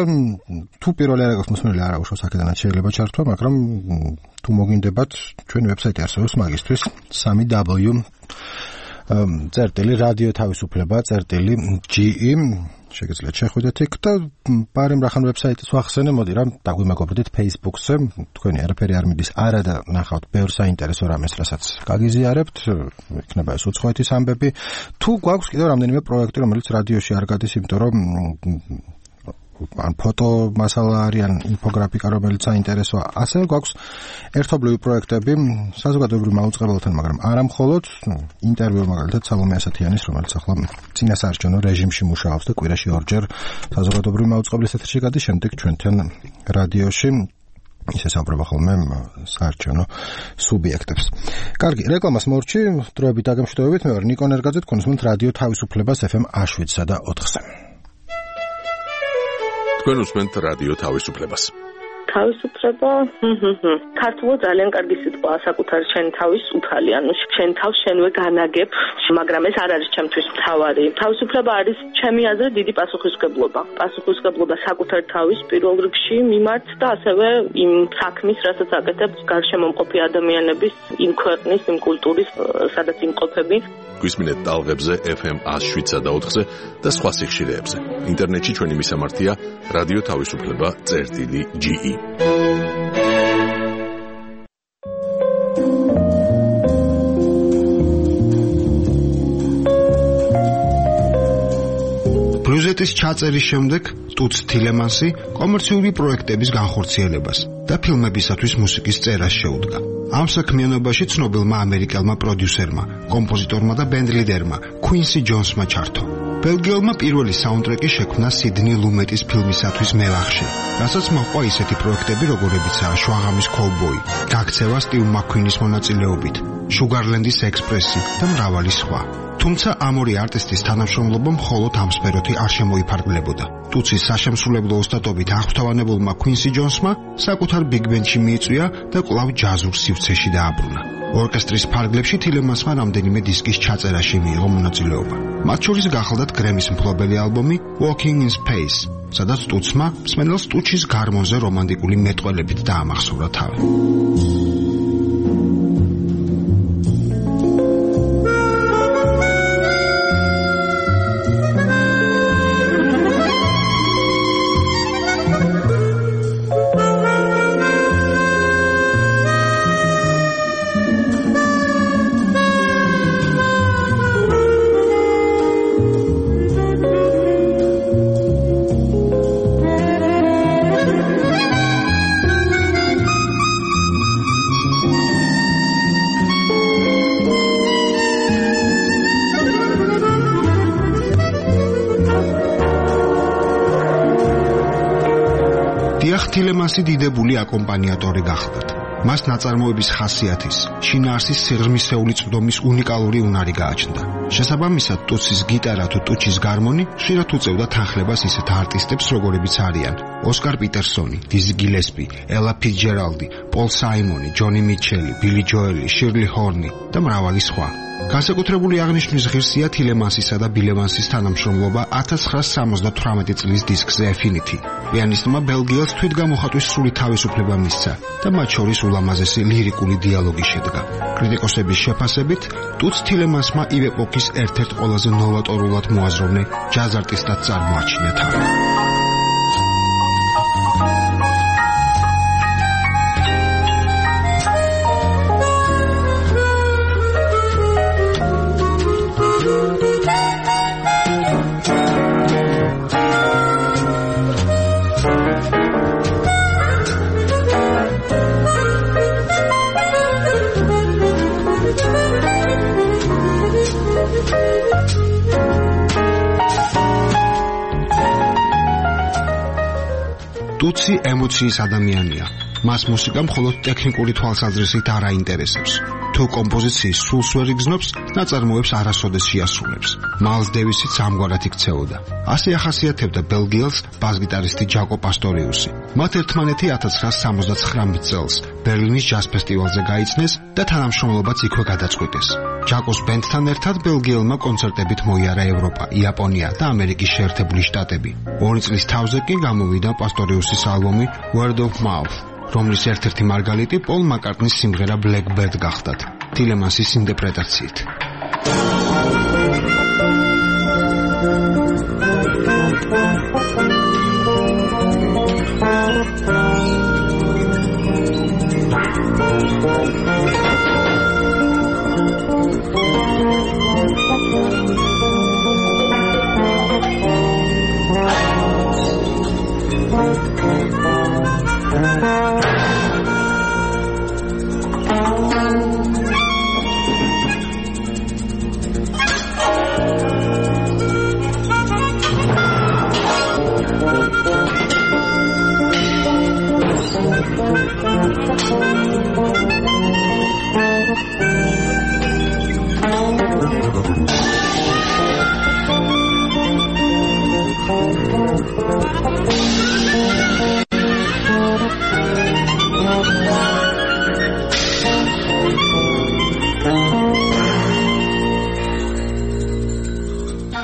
თუ პირველი არ აქვს მოსმენელი არ აუშავს აქედანაც შეიძლება ჩართვა, მაგრამ თუ მოგინდებათ ჩვენი ვებსაიტი არსებობს მაგისთვის სამი დაბლიუ წერტილი რადიო თავისუფლება წერტილი ჯი ი შეგიძლიათ შეხვიდეთ იქ და პარემ რახან ვებსაიტის ვახსენე, მოდი რა დაგვიმეგობრდით Facebook-ზე, თქვენი არაფერი არ მიდის არა და ნახავთ ბევრ საინტერესო რამეს, რასაც გაგიზიარებთ, იქნება ეს უცხოეთის ამბები. თუ გვაქვს კიდევ რამდენიმე პროექტი, რომელიც რადიოში არ გადის, იმიტომ რომ ან ფოტო მასალა არის, ან ინფოგრაფიკა, რომელიც საინტერესოა. ასევე გვაქვს ერთობლივი პროექტები საზოგადოებრივ მაუწყებელთან, მაგრამ არა მხოლოდ ინტერვიუ მაგალითად სალომე ასათიანის, რომელიც ახლა წინასაარჩევნო რეჟიმში მუშაობს და კვირაში ორჯერ საზოგადოებრივ მაუწყებლის ეთერში გადის, შემდეგ ჩვენთან რადიოში. ისე საუბრობა ხოლმე საარჩევნო სუბიექტებს. კარგი, რეკლამას მორჩი, დროებით დაგემშვიდობებით, მე ვარ ნიკო ნერგაძე, გქონსმენთ რადიო თავისუფლებას ეფ ემ შვიდსა და ოთხზე. თქვენ უსმენთ რადიო თავისუფლებას. თავისუფლება, ქართულად ძალიან კარგი სიტყვა, საკუთარ შენ თავის უფალი, ანუ შენ თავს შენვე განაგებ, მაგრამ ეს არ არის ჩემთვის მთავარი. თავისუფლება არის ჩემი აზრით დიდი პასუხისმგებლობა. პასუხისმგებლობა საკუთარ თავის პირველ რიგში მიმართ და ასევე იმ საქმის, რასაც აკეთებს გარშემო მყოფი ადამიანების, იმ ქვეყნის, იმ კულტურის, სადაც იმყოფები. გვისმინეთ ტალღებზე ეფ ემ შვიდსა და ოთხზე და სხვა სიხშირეებზე. ინტერნეტში ჩვენი მისამართია რადიო თავისუფლება წერტილი ჯი ი. ბრიუზეტის ჩაწერის შემდეგ ტუც თილემანსი კომერციული პროექტების განხორციელებას და ფილმებისათვის მუსიკის წერას შეუდგა. ამ საქმიანობაში ცნობილმა ამერიკელმა პროდიუსერმა, კომპოზიტორმა და ბენდლიდერმა κουინსი ჯონსმა ჩართო. ბელგიელმა პირველი საუნდტრეკი შექმნა სიდნი ლუმეტის ფილმისათვის მევახში, რასაც მოჰყვა ისეთი პროექტები, როგორებიცაა შვაღამის კოუბოი, გაქცევა სტივ მაკ-ქუინის მონაწილეობით, შუგარლენდის ექსპრესი და მრავალი სხვა. თუმცა ამ ორი არტისტის თანამშრომლობა მხოლოდ ამ სფეროთი არ შემოიფარგლებოდა. ტუცის საშემსრულებლო ოსტატობით აღფრთოვანებულმა κουინსი ჯონსმა საკუთარ ბიგ-ბენდში მიიწვია და კვლავ ჯაზურ სივრცეში დააბრუნა. ორკესტრის ფარგლებში თილემანსმა რამდენიმე დისკის ჩაწერაში მიიღო მონაწილეობა. მათ შორის გახლდათ გრემის მფლობელი ალბომი Walking in Space, სადაც ტუცმა მსმენელს ტუჩის გარმონზე რომანტიკული მეტყველებით დაამახსოვრა თავი. თილემანსი დიდებული აკომპანიატორი გახლდათ. მას ნაწარმოების ხასიათის, შინაარსის სიღრმისეული წვდომის უნიკალური უნარი გააჩნდა. შესაბამისად, ტუცის გიტარა თუ ტუჩის გარმონი ხშირად უწევდა თანხლებას ისეთ არტისტებს, როგორებიც არიან ოსკარ პიტერსონი, დიზი გილესპი, ელა ფიცჯერალდი, პოლ საიმონი, ჯონი მიჩელი, ბილი ჯოელი, შირლი ჰორნი და მრავალი სხვა. განსაკუთრებული აღნიშვნის ღირსია თილემანსისა და ბილევანსის თანამშრომლობა ათას ცხრაასი სამოცდათვრამეტი წლის დისკზე Affinity. პიანისტმა ბელგიელს თვითგამოხატვის სრული თავისუფლება მისცა და მათ შორის ულამაზესი ლირიკული დიალოგი შედგა. კრიტიკოსების შეფასებით, ტუც თილემანსმა იმ ეპოქის ერთ-ერთ ყველაზე ნოვატორულად მოაზროვნე ჯაზ არტისტად წარმოაჩინა თავი. ტუცი ემოციის ადამიანია. მას მუსიკა მხოლოდ ტექნიკური თვალსაზრისით არ აინტერესებს. თუ კომპოზიციის სულს ვერ იგრძნობს, ნაწარმოებს არასოდეს შეასრულებს. მაილს დევისიც ამგვარად იქცეოდა. ასე ახასიათებდა ბელგიელს ბას-გიტარისტი ჯაკო პასტორიუსი. მათ ერთმანეთი ათას ცხრაასი სამოცდათხრამეტ წელს ბერლინის ჯაზ ფესტივალზე გაიცნეს და თანამშრომლობაც იქვე გადაწყვიტეს. ჯაკოს ბენდთან ერთად ბელგიელმა კონცერტებით მოიარა ევროპა, იაპონია და ამერიკის შეერთებული შტატები. ორი წლის თავზე კი გამოვიდა პასტორიუსის ალბომი Word of Mouth, რომლის ერთ-ერთი მარგალიტი პოლ მაკარტნის სიმღერა Blackbird გახდათ, თილემანსის ინტერპრეტაციით.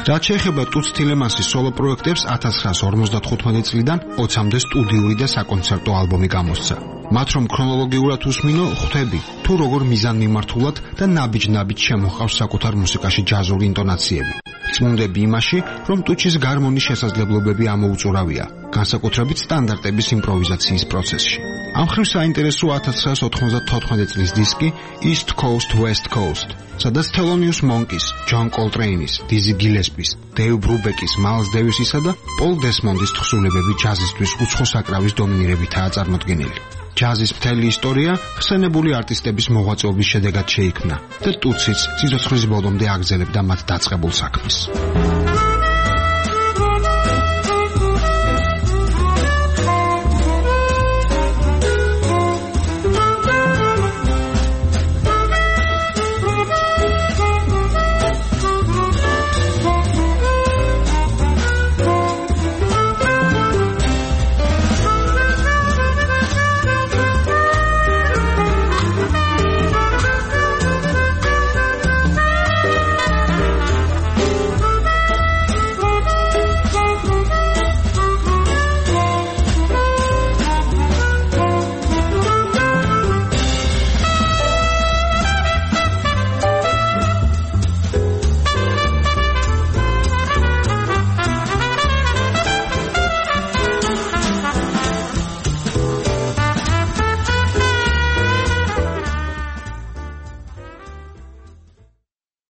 რაც შეეხება ტუც თილემანსის სოლო პროექტებს, ათას ცხრაასი ორმოცდათხუთმეტი წლიდან ოცამდე სტუდიური და საკონცერტო ალბომი გამოსცა. მათ რომ ქრონოლოგიურად უსმინო, ხვდები თუ როგორ მიზანმიმართულად და ნაბიჯ-ნაბიჯ შემოჰყავს საკუთარ მუსიკაში ჯაზური ინტონაციები. წმუნდები იმაში, რომ ტუჩის გარმონის შესაძლებლობები ამოუწურავია, განსაკუთრებით სტანდარტების იმპროვიზაციის პროცესში. ამ ხრივ საინტერესო ათას ცხრაასი ოთხმოცდათოთხმეტი წლის დისკი East Coast West Coast, სადაც Thelonious Monk's, John Coltrane's, Dizzy Gillespie's, Dave Brubeck's, Miles Davis'ისა და Paul Desmond's თხზულებები ჯაზისთვის უცხო საკრავის დომინირებითაა წარმოდგენილი. ჯაზის მთელი ისტორია ხსენებული არტისტების მოღვაწეობის შედეგად შეიქმნა და ტუციც სიცოცხლის ბოლომდე აგრძელებდა მათ დაწყებულ საქმეს.